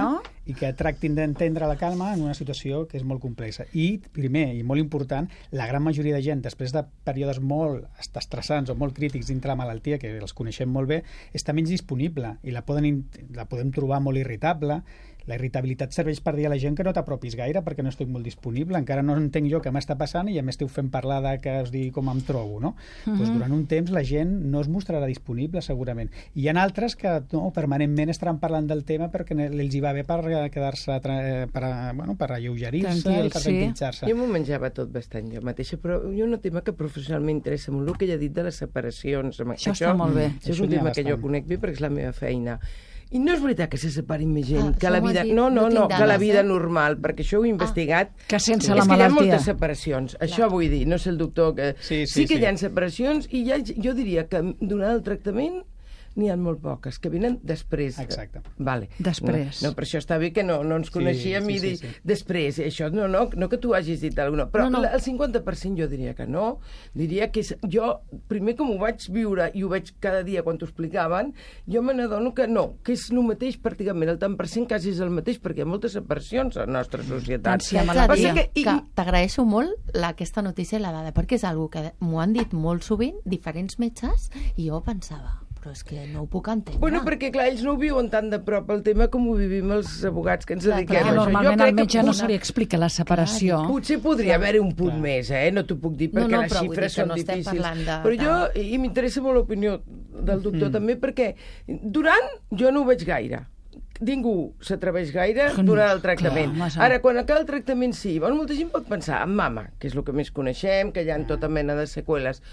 [SPEAKER 2] i que tractin d'entendre la Carme en una situació que és molt complexa. I, primer, i molt important, la gran majoria de gent, després de períodes molt estressants o molt crítics dintre la malaltia, que els coneixem molt bé, està menys disponible i la podem trobar molt irritable. La irritabilitat serveix per dir a la gent que no t'apropis gaire perquè no estic molt disponible, encara no entenc jo què m'està passant i ja m'esteu fent parlar de que us digui com em trobo, no? Doncs durant un temps la gent no es mostrarà disponible, segurament. I hi ha altres que no, permanentment estaran parlant del tema perquè els hi va bé per quedar-se, per alleugerir-se, per tranquil·litzar-se.
[SPEAKER 4] Jo m'ho menjava tot bastant jo mateixa, però hi ha un tema que professionalment m'interessa molt, el que ella ha dit de les separacions.
[SPEAKER 1] Això està molt bé.
[SPEAKER 4] Això és un tema que jo conec bé perquè és la meva feina. I no és veritat que se separin més gent, que la vida... No, que la vida normal, perquè això ho he investigat.
[SPEAKER 1] Que sense la malaltia.
[SPEAKER 4] És que hi ha moltes separacions, això vull dir, no sé el doctor... Sí que hi ha separacions i jo diria que durant el tractament n'hi ha molt poques, que venen després.
[SPEAKER 2] Exacte.
[SPEAKER 4] Vale.
[SPEAKER 1] Després.
[SPEAKER 4] No, per això està bé que no ens coneixíem i dir després. Això no que tu hagis dit alguna cosa. Però el 50% jo diria que no. Diria que jo, primer com ho vaig viure i ho veig cada dia quan t'ho explicaven, jo me n'adono que no, que és el mateix pràcticament, el tant per cent quasi és el mateix, perquè hi ha moltes separacions a la nostra societat.
[SPEAKER 3] T'agraeixo molt aquesta notícia i la dada, perquè és una que m'ho han dit molt sovint diferents metges i jo pensava... però és que no ho puc entendre.
[SPEAKER 4] Bueno, perquè clar, ells no ho viuen tan de prop el tema com ho vivim els abogats que ens dediquem a això.
[SPEAKER 1] Normalment al metge no se li explica la separació.
[SPEAKER 4] Potser podria haver-hi un punt més, no t'ho puc dir, perquè les xifres són difícils. Però jo, i m'interessa molt l'opinió del doctor també, perquè durant jo no ho veig gaire. Ningú s'atreveix gaire durant el tractament. Ara, quan acaba el tractament, sí. Molta gent pot pensar en mama, que és el que més coneixem, que hi ha tota mena de seqüeles.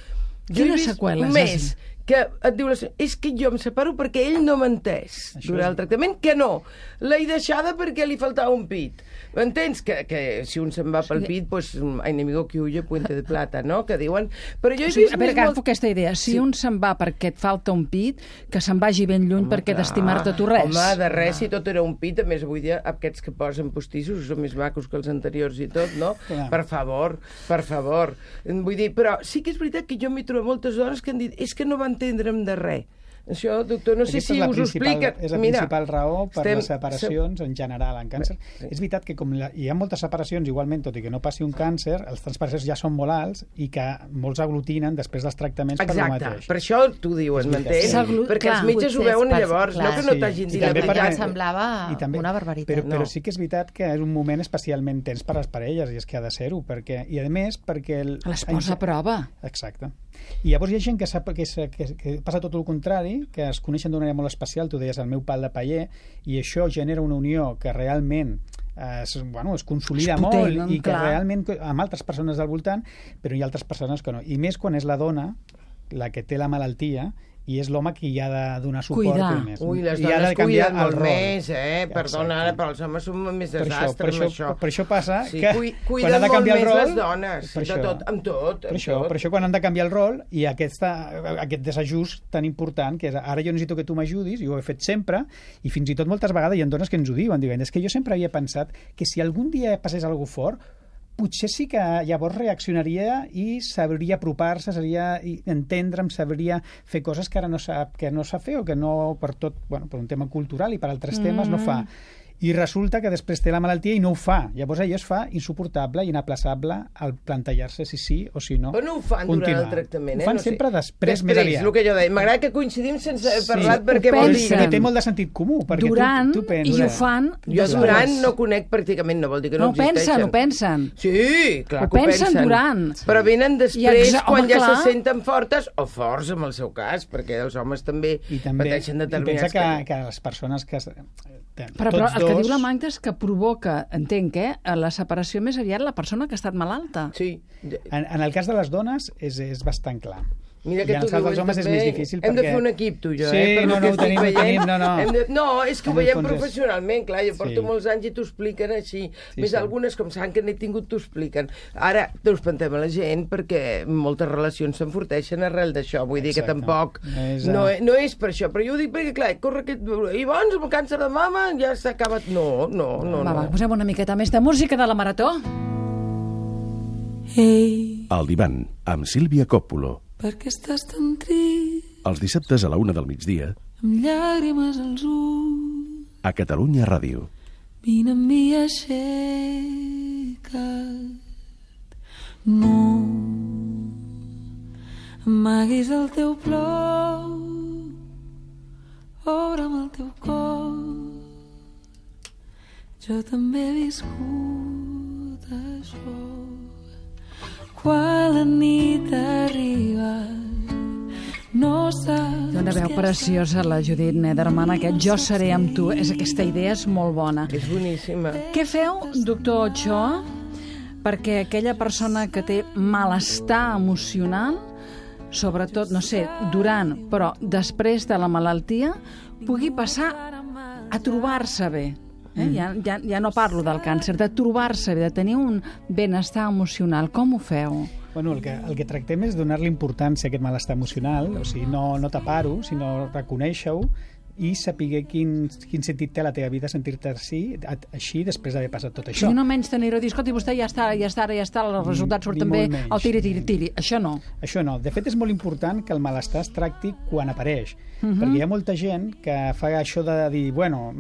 [SPEAKER 1] Quines seqüeles?
[SPEAKER 4] Un mes que et diu és que jo em separo perquè ell no m'ha entès durant el tractament, que no. L'he deixada perquè li faltava un pit. M'entens? Que si un se'n va pel pit, pues, enemigo que huye, puente de plata, no? Que diuen... Però jo he vist...
[SPEAKER 1] A veure, agafo aquesta idea. Si un se'n va perquè et falta un pit, que se'n vagi ben lluny perquè d'estimar-te tu res.
[SPEAKER 4] Home, de res, si tot era un pit, a més avui dia aquests que posen postissos són més macos que els anteriors i tot, no? Per favor. Vull dir, però sí que és veritat que jo m'hi trobo moltes dones que han dit és que no va entendre'm de res. Això, doctor, no sé si us ho explica.
[SPEAKER 2] És la principal raó per les separacions en general en càncer. És veritat que com hi ha moltes separacions, igualment, tot i que no passi un càncer, els transparents ja són molt alts i que molts aglutinen després dels tractaments per el mateix.
[SPEAKER 4] Exacte, per això t'ho diuen, m'entens? Perquè els metges ho veuen llavors, no que no t'hagin dit la veritat.
[SPEAKER 3] Semblava una barbaritat.
[SPEAKER 2] Però sí que és veritat que és un moment especialment tens per a les parelles, i és que ha de ser-ho, i a més perquè...
[SPEAKER 1] Les posa a prova.
[SPEAKER 2] Exacte. I llavors hi ha gent que passa tot el contrari, que es coneixen d'una manera molt especial, tu deies el meu pal de paller, i això genera una unió que realment es consolida molt i que realment amb altres persones al voltant, però hi ha altres persones que no. I més quan és la dona la que té la malaltia i és l'home qui hi ha de donar suport.
[SPEAKER 4] Ui, les dones cuiden molt més, perdona, ara, però els homes són més desastre amb això.
[SPEAKER 2] Per això passa que
[SPEAKER 4] quan han de canviar el rol... les dones, amb tot.
[SPEAKER 2] Per això quan han de canviar el rol i aquest desajust tan important, que és ara jo necessito que tu m'ajudis, i ho he fet sempre, i fins i tot moltes vegades hi ha dones que ens ho diuen, és que jo sempre havia pensat que si algun dia passés alguna cosa fort, potser sí que llavors reaccionaria i sabria apropar-se, sabria entendre'm, sabria fer coses que ara no sap fer o que no, per un tema cultural i per altres temes no fa. I resulta que després té la malaltia i no ho fa. Llavors allò es fa insuportable i inaplaçable al plantejar-se si sí o si no.
[SPEAKER 4] Però no ho fan durant el tractament,
[SPEAKER 2] Ho fan sempre després, més aviat.
[SPEAKER 4] El que jo deia. M'agrada que coincidim sense haver parlat perquè vol dir...
[SPEAKER 2] Però té molt de sentit comú.
[SPEAKER 1] Durant, i ho fan...
[SPEAKER 4] Jo durant no conec pràcticament, no vol dir que no existeixen.
[SPEAKER 1] Ho pensen.
[SPEAKER 4] Sí, clar que ho
[SPEAKER 1] pensen. Durant.
[SPEAKER 4] Però venen després quan ja se senten fortes, o forts en el seu cas, perquè els homes també pateixen determinats...
[SPEAKER 2] I pensa que les persones que...
[SPEAKER 1] Però el que diu la Magda és que provoca, entenc, la separació més aviat la persona que ha estat malalta.
[SPEAKER 4] Sí.
[SPEAKER 2] En el cas de les dones és bastant clar.
[SPEAKER 4] Mira que
[SPEAKER 2] I en el cas dels homes és més difícil
[SPEAKER 4] hem de fer un equip, tu i jo,
[SPEAKER 2] Sí, no, ho tenim.
[SPEAKER 4] No, és que ho veiem professionalment, clar, jo porto molts anys i t'ho expliquen així. Més algunes, com saben que n'he tingut, t'ho expliquen. Ara t'ho espantem a la gent perquè moltes relacions s'enforteixen arrel d'això, vull dir que tampoc no és per això, però jo ho dic perquè, clar, corre aquest... I bons, amb el càncer de mama ja s'ha acabat... No.
[SPEAKER 1] Va, posem una miqueta més de música de la Marató.
[SPEAKER 5] El divan, amb Sílvia Coppola.
[SPEAKER 7] Per què estàs tan trist?
[SPEAKER 5] Els dissabtes a la 1 del migdia.
[SPEAKER 7] Amb llàgrimes als ulls.
[SPEAKER 5] A Catalunya Ràdio.
[SPEAKER 7] Vine amb mi, aixeca't. No amaguis el teu plor. Obre'm el teu cor. jo també he viscut això. Quan la nit arriba, no saps...
[SPEAKER 1] Té una veu preciosa, la Judit Nederman, aquest Jo seré amb tu. Aquesta idea és molt bona.
[SPEAKER 4] És boníssima.
[SPEAKER 1] Què feu, doctor Ochoa, perquè aquella persona que té malestar emocional, sobretot, no sé, durant, però després de la malaltia, pugui passar a trobar-se bé? Ja no parlo del càncer, de trobar-se bé, de tenir un benestar emocional. Com ho feu?
[SPEAKER 2] Bueno, el que tractem és donar-li importància a aquest malestar emocional, o sigui, no tapar-ho, sinó reconèixer-ho i saber quin sentit té a la teva vida sentir-te així després d'haver passat tot això.
[SPEAKER 1] I no menys tenir-ho, dir, escolta, vostè ja està, els resultats surten bé, el tiri. Això no.
[SPEAKER 2] Això no. De fet, és molt important que el malestar es tracti quan apareix, perquè hi ha molta gent que fa això de dir, bueno,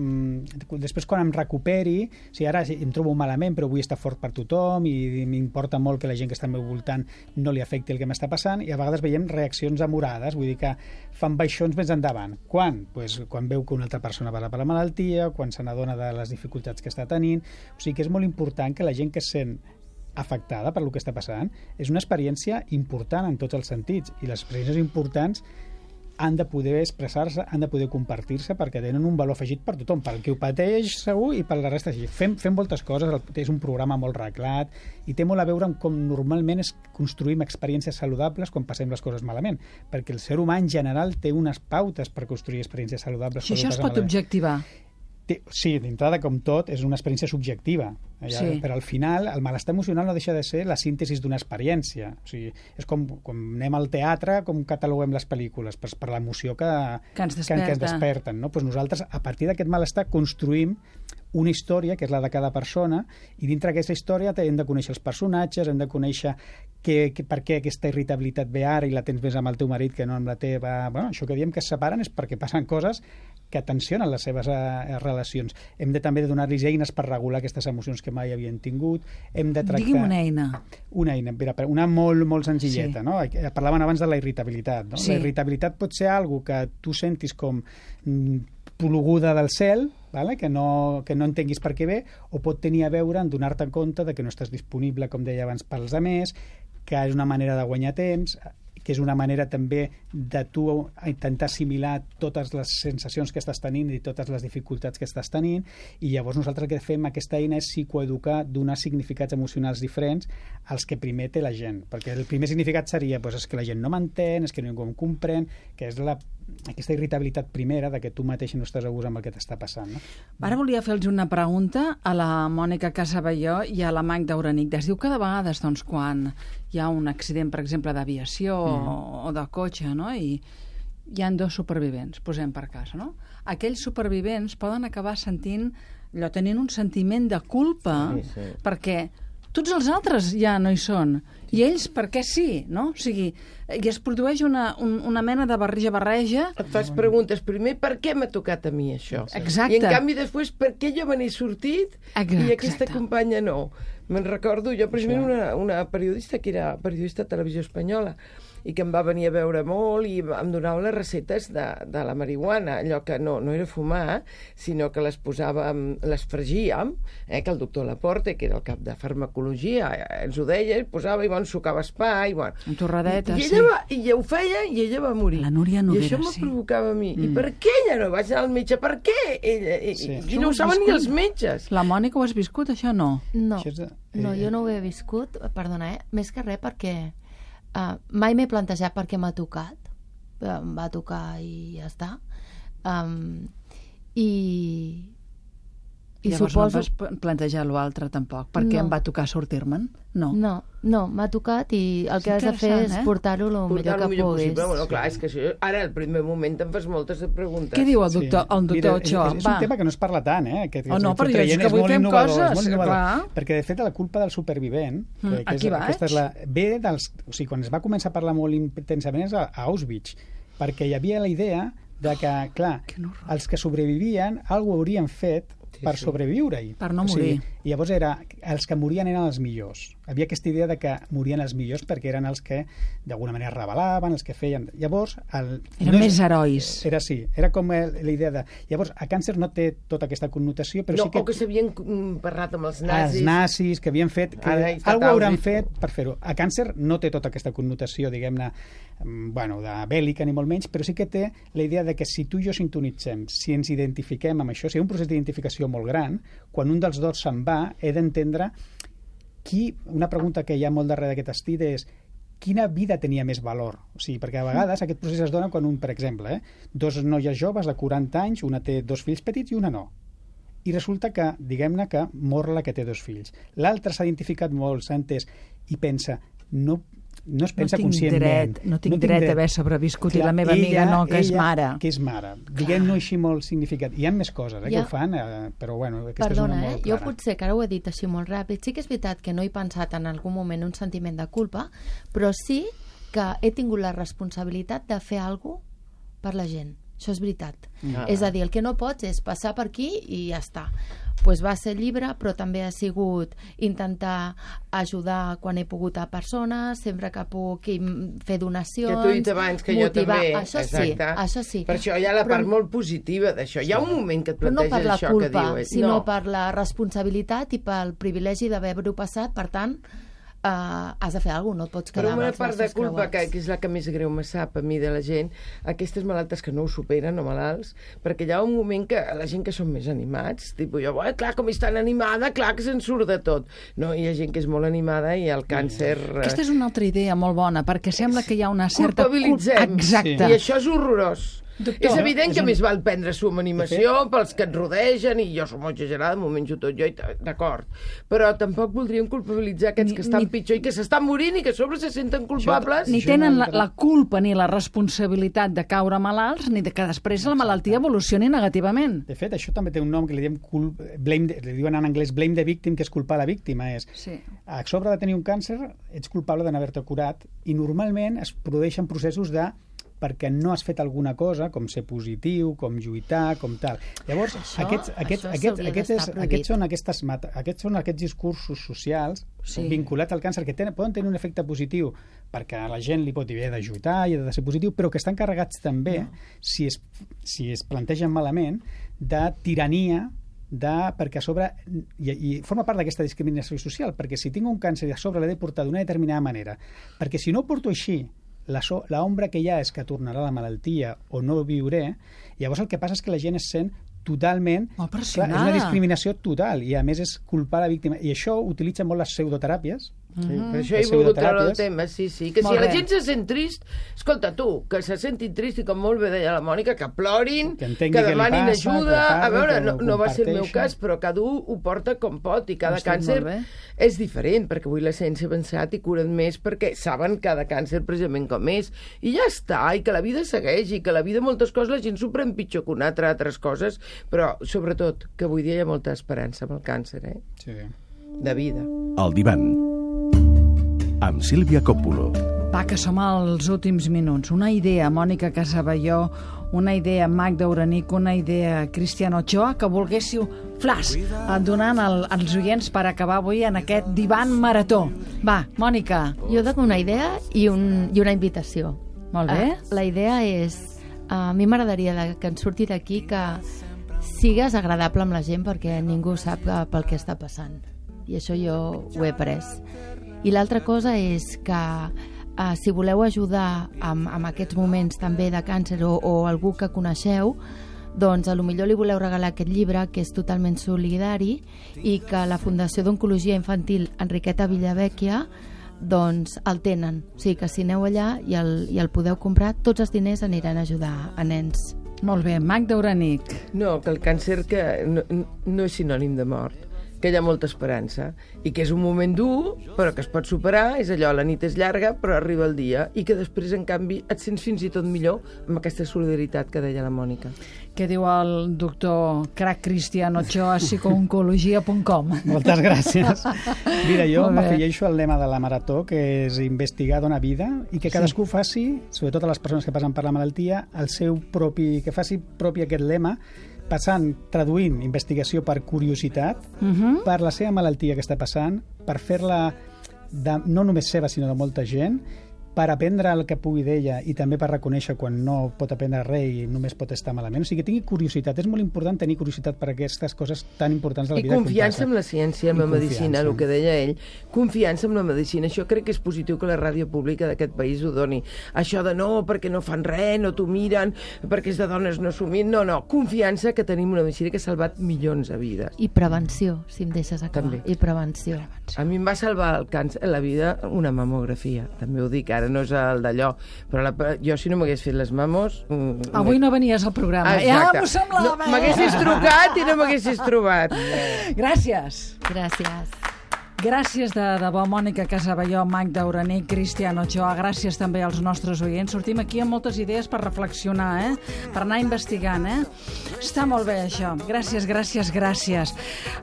[SPEAKER 2] després quan em recuperi, si ara em trobo malament però vull estar fort per tothom i m'importa molt que la gent que està al meu voltant no li afecti el que m'està passant, i a vegades veiem reaccions amorades, vull dir que fan baixons més endavant. Quan? Pues, quan veu que una altra persona passa per la malaltia, quan se n'adona de les dificultats que està tenint. O sigui que és molt important que la gent que es sent afectada per el que està passant és una experiència important en tots els sentits, i les experiències importants han de poder expressar-se, han de poder compartir-se, perquè tenen un valor afegit per tothom, per qui ho pateix segur i per la resta. Fem moltes coses, és un programa molt reglat i té molt a veure amb com normalment construïm experiències saludables quan passem les coses malament, perquè el ser humà en general té unes pautes per construir experiències saludables.
[SPEAKER 1] Si això es pot objectivar.
[SPEAKER 2] Sí, d'entrada, com tot, és una experiència subjectiva,
[SPEAKER 1] sí.
[SPEAKER 2] Però al final el malestar emocional no deixa de ser la síntesi d'una experiència. O sigui, és com anem al teatre, com cataloguem les pel·lícules, per l'emoció que ens desperten. No? Pues nosaltres, a partir d'aquest malestar, construïm una història, que és la de cada persona, i dintre d'aquesta història hem de conèixer els personatges, hem de conèixer per què aquesta irritabilitat ve ara i la tens més amb el teu marit que no amb la teva... Bueno, això que diem que es separen és perquè passen coses que tensionen les seves relacions. Hem de també donar-los eines per regular aquestes emocions que mai havien tingut. Hem de tractar...
[SPEAKER 1] Digui'm una eina.
[SPEAKER 2] Una molt senzilleta.
[SPEAKER 1] Sí.
[SPEAKER 2] No? Parlaven abans de la irritabilitat. No?
[SPEAKER 1] Sí.
[SPEAKER 2] La irritabilitat pot ser algo que tu sentis com ploguda del cel, vale? que no entenguis per què ve, o pot tenir a veure en donar-te compte de que no estàs disponible, com deia abans, pels altres, que és una manera de guanyar temps, que és una manera també de tu intentar assimilar totes les sensacions que estàs tenint i totes les dificultats que estàs tenint, i llavors nosaltres el que fem aquesta eina és psicoeducar, donar significats emocionals diferents als que primer té la gent, perquè el primer significat seria és que la gent no m'entén, és que ningú em comprèn, que és aquesta irritabilitat primera de que tu mateix no estàs a gust amb el que t'està passant. No?
[SPEAKER 1] Ara volia fer-los una pregunta a la Mònica Casabelló i a la Magda Uranic. Es diu que de vegades, doncs, quan hi ha un accident, per exemple, d'aviació o de cotxe, no? I hi ha dos supervivents, posem per cas, no? Aquells supervivents poden acabar tenint un sentiment de culpa, perquè tots els altres ja no hi són. I ells, per què sí? No? O sigui, i es produeix una mena de barreja.
[SPEAKER 4] Et fas preguntes primer, per què m'ha tocat a mi això?
[SPEAKER 1] Exacte.
[SPEAKER 4] I en canvi després, per què jo me n'he sortit i aquesta companya no? Me'n recordo, jo per exemple, una periodista que era periodista de Televisió Espanyola i que em va venir a veure molt i em donava les receptes de la marihuana, allò que no era fumar, sinó que les posàvem, les fregíem, que el doctor Laporte, que era el cap de farmacologia, ens ho deia, posava i sucava espai,
[SPEAKER 1] en torradetes,
[SPEAKER 4] i ella ho feia i ella va morir.
[SPEAKER 1] La Núria Noguera,
[SPEAKER 4] i això me provocava a mi. I per què ella no vaig anar al metge? Per què? I no ho saben ni els metges.
[SPEAKER 1] La Mònica ho has viscut, això no?
[SPEAKER 3] No, jo no ho he viscut, perdona, més que res perquè mai m'he plantejat per què m'ha tocat. Em va tocar i ja està. I
[SPEAKER 1] llavors
[SPEAKER 3] suposo...
[SPEAKER 1] no vas plantejar l'altre tampoc. Per què em va tocar sortir-me'n? No,
[SPEAKER 3] m'ha tocat i el que has de fer és portar-ho el millor que puguis.
[SPEAKER 4] Bueno, clar, és que això, ara al primer moment te'n fas moltes preguntes.
[SPEAKER 1] Què diu el doctor Ochoa?
[SPEAKER 2] És un tema que no es parla tant,
[SPEAKER 1] però jo és que avui fem coses, clar.
[SPEAKER 2] Perquè, de fet, la culpa del supervivent ve dels... O sigui, quan es va començar a parlar molt intensament és a Auschwitz, perquè hi havia la idea de que, clar, els que sobrevivien alguna haurien fet per sobreviure-hi.
[SPEAKER 1] Per no morir.
[SPEAKER 2] I llavors els que morien eren els millors. Havia aquesta idea de que morien els millors perquè eren els que d'alguna manera rebel·laven, els que feien... Llavors...
[SPEAKER 1] Eren més herois.
[SPEAKER 2] Era com la idea de... Llavors, a càncer no té tota aquesta connotació, però sí que...
[SPEAKER 4] O que s'havien parlat amb els nazis.
[SPEAKER 2] Els nazis, que havien fet... Algú hauran fet per fer-ho. A càncer no té tota aquesta connotació, diguem-ne, de bèl·lica ni molt menys, però sí que té la idea de que si tu i jo sintonitzem, si ens identifiquem amb això, si hi ha un procés d'identificació molt gran, quan un dels dos se'n va, he d'entendre una pregunta que hi ha molt darrere d'aquest estil és quina vida tenia més valor? O sigui, perquè a vegades aquest procés es dona quan per exemple, dos noies joves de 40 anys, una té 2 fills petits i una no. I resulta que, diguem-ne que mor la que té 2 fills. L'altra s'ha identificat molt, s'ha entès, i pensa, no es pensa conscientment.
[SPEAKER 1] No tinc dret d'haver sobreviscut. Clar, i la meva amiga no, que és mare.
[SPEAKER 2] Que és mare. Diguem-no així molt significat. Hi ha més coses que ho fan, però bueno, aquesta és una molt clara.
[SPEAKER 3] Jo potser que ara ho he dit així molt ràpid, sí que és veritat que no he pensat en algun moment un sentiment de culpa, però sí que he tingut la responsabilitat de fer alguna cosa per la gent. Això és veritat. És a dir, el que no pots és passar per aquí i ja està. Pues va ser llibre, però també ha sigut intentar ajudar quan he pogut a persones, sempre que puc fer donacions,
[SPEAKER 4] que tu he dit abans, que
[SPEAKER 3] motivar.
[SPEAKER 4] Jo també.
[SPEAKER 3] Això sí.
[SPEAKER 4] Per això hi ha la part molt positiva d'això. Hi ha un moment que et planteges
[SPEAKER 3] no per la
[SPEAKER 4] això
[SPEAKER 3] culpa,
[SPEAKER 4] que diu.
[SPEAKER 3] Sinó per la responsabilitat i pel privilegi d'haver-ho passat, per tant, has de fer alguna cosa, no et pots quedar
[SPEAKER 4] però
[SPEAKER 3] amb
[SPEAKER 4] una
[SPEAKER 3] els
[SPEAKER 4] part de
[SPEAKER 3] braços
[SPEAKER 4] culpa,
[SPEAKER 3] creuats.
[SPEAKER 4] que és la que més greu me sap a mi de la gent, aquestes malaltes que no ho superen, o malalts, perquè hi ha un moment que la gent que són més animats, tipus jo, clar, com és tan animada, clar que se'n surt de tot. No, hi ha gent que és molt animada i el càncer...
[SPEAKER 1] Aquesta és una altra idea molt bona, perquè sembla que hi ha una certa...
[SPEAKER 4] Culpabilitzem.
[SPEAKER 1] Exacte.
[SPEAKER 4] I això és horrorós.
[SPEAKER 1] Doctor,
[SPEAKER 4] és evident que més val prendre-s'ho amb animació pels que et rodegen, i jo som molt exagerada, m'ho menjo tot jo, d'acord. Però tampoc voldríem culpabilitzar aquests que estan pitjor i que s'estan morint i que a sobre se senten culpables.
[SPEAKER 1] Ni tenen la culpa ni la responsabilitat de caure malalts, ni de que després la malaltia evolucioni negativament.
[SPEAKER 2] De fet, això també té un nom que li diuen en anglès blame the victim, que és culpar la víctima. A sobre de tenir un càncer, ets culpable de no haver-te curat, i normalment es produeixen processos perquè no has fet alguna cosa, com ser positiu, com lluitar, com tal. Llavors, aquests són aquests discursos socials vinculats al càncer que poden tenir un efecte positiu perquè a la gent li pot dir he d'ajudar i he de ser positiu, però que estan carregats també, si es plantegen malament, de tirania, perquè a sobre, i forma part d'aquesta discriminació social, perquè si tinc un càncer a sobre l'he de portar d'una determinada manera, perquè si no ho porto així, l'ombra que hi ha és que tornarà la malaltia o no viuré, llavors el que passa és que la gent es sent totalment...
[SPEAKER 1] Clar, és
[SPEAKER 2] una discriminació total, i a més és culpar la víctima. I això utilitza molt les pseudoteràpies.
[SPEAKER 4] Per això he volgut treure el tema, sí. Que si la gent se sent trist, escolta, tu, que se sentin trist i com molt bé deia la Mònica, que plorin, que demanin ajuda. A veure, no va ser el meu cas, però cada un ho porta com pot, i cada càncer és diferent, perquè avui la ciència ha avançat i curen més perquè saben cada càncer precisament com és. I ja està, i que la vida segueix, i que la vida moltes coses la gent s'ho pren pitjor que una altra, altres coses, però sobretot que avui dia hi ha molta esperança amb el càncer, de vida.
[SPEAKER 5] El divan amb Sílvia Coppola.
[SPEAKER 1] Va, que som als últims minuts. Una idea, Mònica Casaballó, una idea, Magda Uranic, una idea, Cristian Ochoa, que volguéssiu, flash, donant als oients per acabar avui en aquest divan marató. Va, Mònica.
[SPEAKER 3] Jo dono una idea i una invitació.
[SPEAKER 1] Molt bé.
[SPEAKER 3] La idea és, a mi m'agradaria que ens surti d'aquí que sigues agradable amb la gent perquè ningú sap pel que està passant. I això jo ho he après. I l'altra cosa és que si voleu ajudar amb aquests moments també de càncer o algú que coneixeu, doncs potser li voleu regalar aquest llibre que és totalment solidari i que la Fundació d'Oncologia Infantil Enriqueta Villavecchia doncs el tenen. O sigui que si aneu allà i el podeu comprar, tots els diners aniran a ajudar a nens.
[SPEAKER 1] Molt bé, Magda Uranic.
[SPEAKER 4] No, que el càncer no és sinònim de mort, que hi ha molta esperança i que és un moment dur però que es pot superar, és allò, la nit és llarga però arriba el dia, i que després en canvi et sents fins i tot millor amb aquesta solidaritat que deia la Mònica.
[SPEAKER 1] Què diu el doctor crac Cristian Ochoa, psicooncologia.com?
[SPEAKER 2] Moltes gràcies. Mira, jo m'afegeixo al lema de la marató, que és investigar dona vida, i que cadascú faci, sobretot a les persones que passen per la malaltia, el seu propi, que faci propi aquest lema, traduint investigació per curiositat, per la seva malaltia que està passant, per fer-la no només seva, sinó de molta gent, per aprendre el que pugui d'ella i també per reconèixer quan no pot aprendre res i només pot estar malament. O sigui, que tingui curiositat. És molt important tenir curiositat per aquestes coses tan importants de la vida.
[SPEAKER 4] I confiança en la ciència, en la medicina, el que deia ell. Confiança en la medicina. Això crec que és positiu que la ràdio pública d'aquest país ho doni. Això de no, perquè no fan res, no t'ho miren, perquè és de dones no s'ho miren. No. Confiança que tenim una medicina que ha salvat milions de vides.
[SPEAKER 3] I prevenció, si em deixes acabar.
[SPEAKER 4] També.
[SPEAKER 3] I prevenció.
[SPEAKER 4] A mi em va salvar el càncer, la vida, una mamografia. També ho dic, ara no és el d'allò, però jo si no m'hagués fet les mamos...
[SPEAKER 1] Avui no venies al programa.
[SPEAKER 4] Exacte.
[SPEAKER 1] Ja m'ho semblava.
[SPEAKER 4] No, m'haguessis trucat i no m'haguessis trobat.
[SPEAKER 1] Gràcies.
[SPEAKER 3] Gràcies.
[SPEAKER 1] Gràcies de debò, Mònica Casaballó, Magda Uranic, Cristiano Ochoa. Gràcies també als nostres oients. Sortim aquí amb moltes idees per reflexionar, per anar investigant. Està molt bé, això. Gràcies, gràcies, gràcies.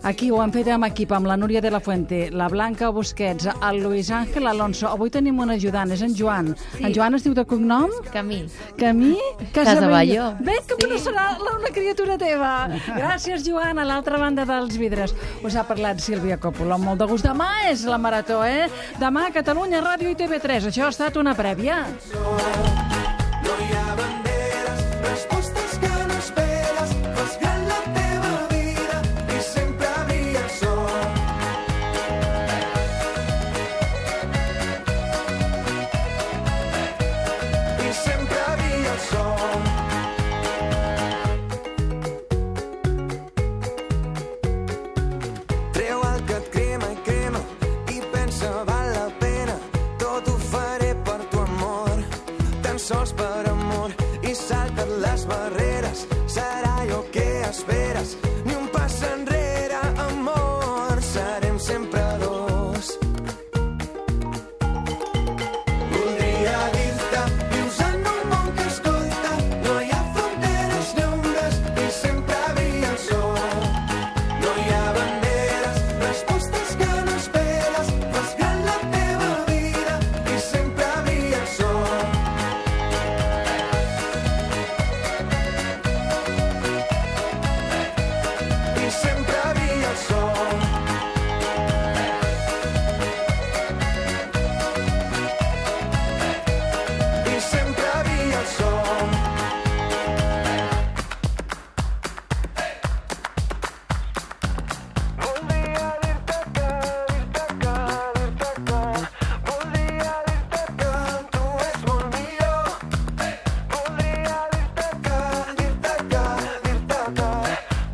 [SPEAKER 1] Aquí ho hem fet amb equip, amb la Núria de la Fuente, la Blanca Busquets, el Luis Ángel Alonso. Avui tenim un ajudant, és en Joan. Sí. En Joan es diu de cognom?
[SPEAKER 3] Camí.
[SPEAKER 1] Camí Casaballó.
[SPEAKER 3] Casaballó.
[SPEAKER 1] Bé, que sí. Serà una criatura teva. Gràcies, Joan, a l'altra banda dels vidres. Us ha parlat Sílvia Coppola, amb molt de gust. Demà és la Marató, Demà a Catalunya Ràdio i TV3. Això ha estat una prèvia.
[SPEAKER 6] No hi ha banderes, respostes que no esperes, fas gran la teva vida i sempre brilla el sol. I sempre brilla el sol. Treu el que et crema i crema i pensa val la pena, tot ho faré per tu amor, tan sols per amor, i salta't les barreres, serà allò que esperes, ni un pas enrere, amor, serem sempre dos. Voldria dir-te, vius en un món que escolta, no hi ha fronteres ni ombres, i sempre brilla el sol. No hi ha banderes, respostes que no esperes, fas gran la teva vida i sempre brilla el sol. I sempre brilla el sol. I sempre brilla el sol. Voldria dir-te que voldria dir-te que tu és molt millor. Voldria dir-te que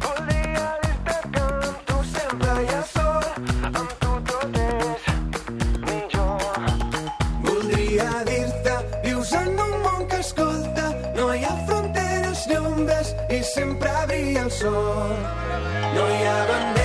[SPEAKER 6] voldria dir-te que amb tu sempre hi ha sol, amb tu tot és millor. Voldria dir-te, vius en un món que escolta, no hi ha fronteres ni ombres i sempre brilla el sol. No hi ha banderes,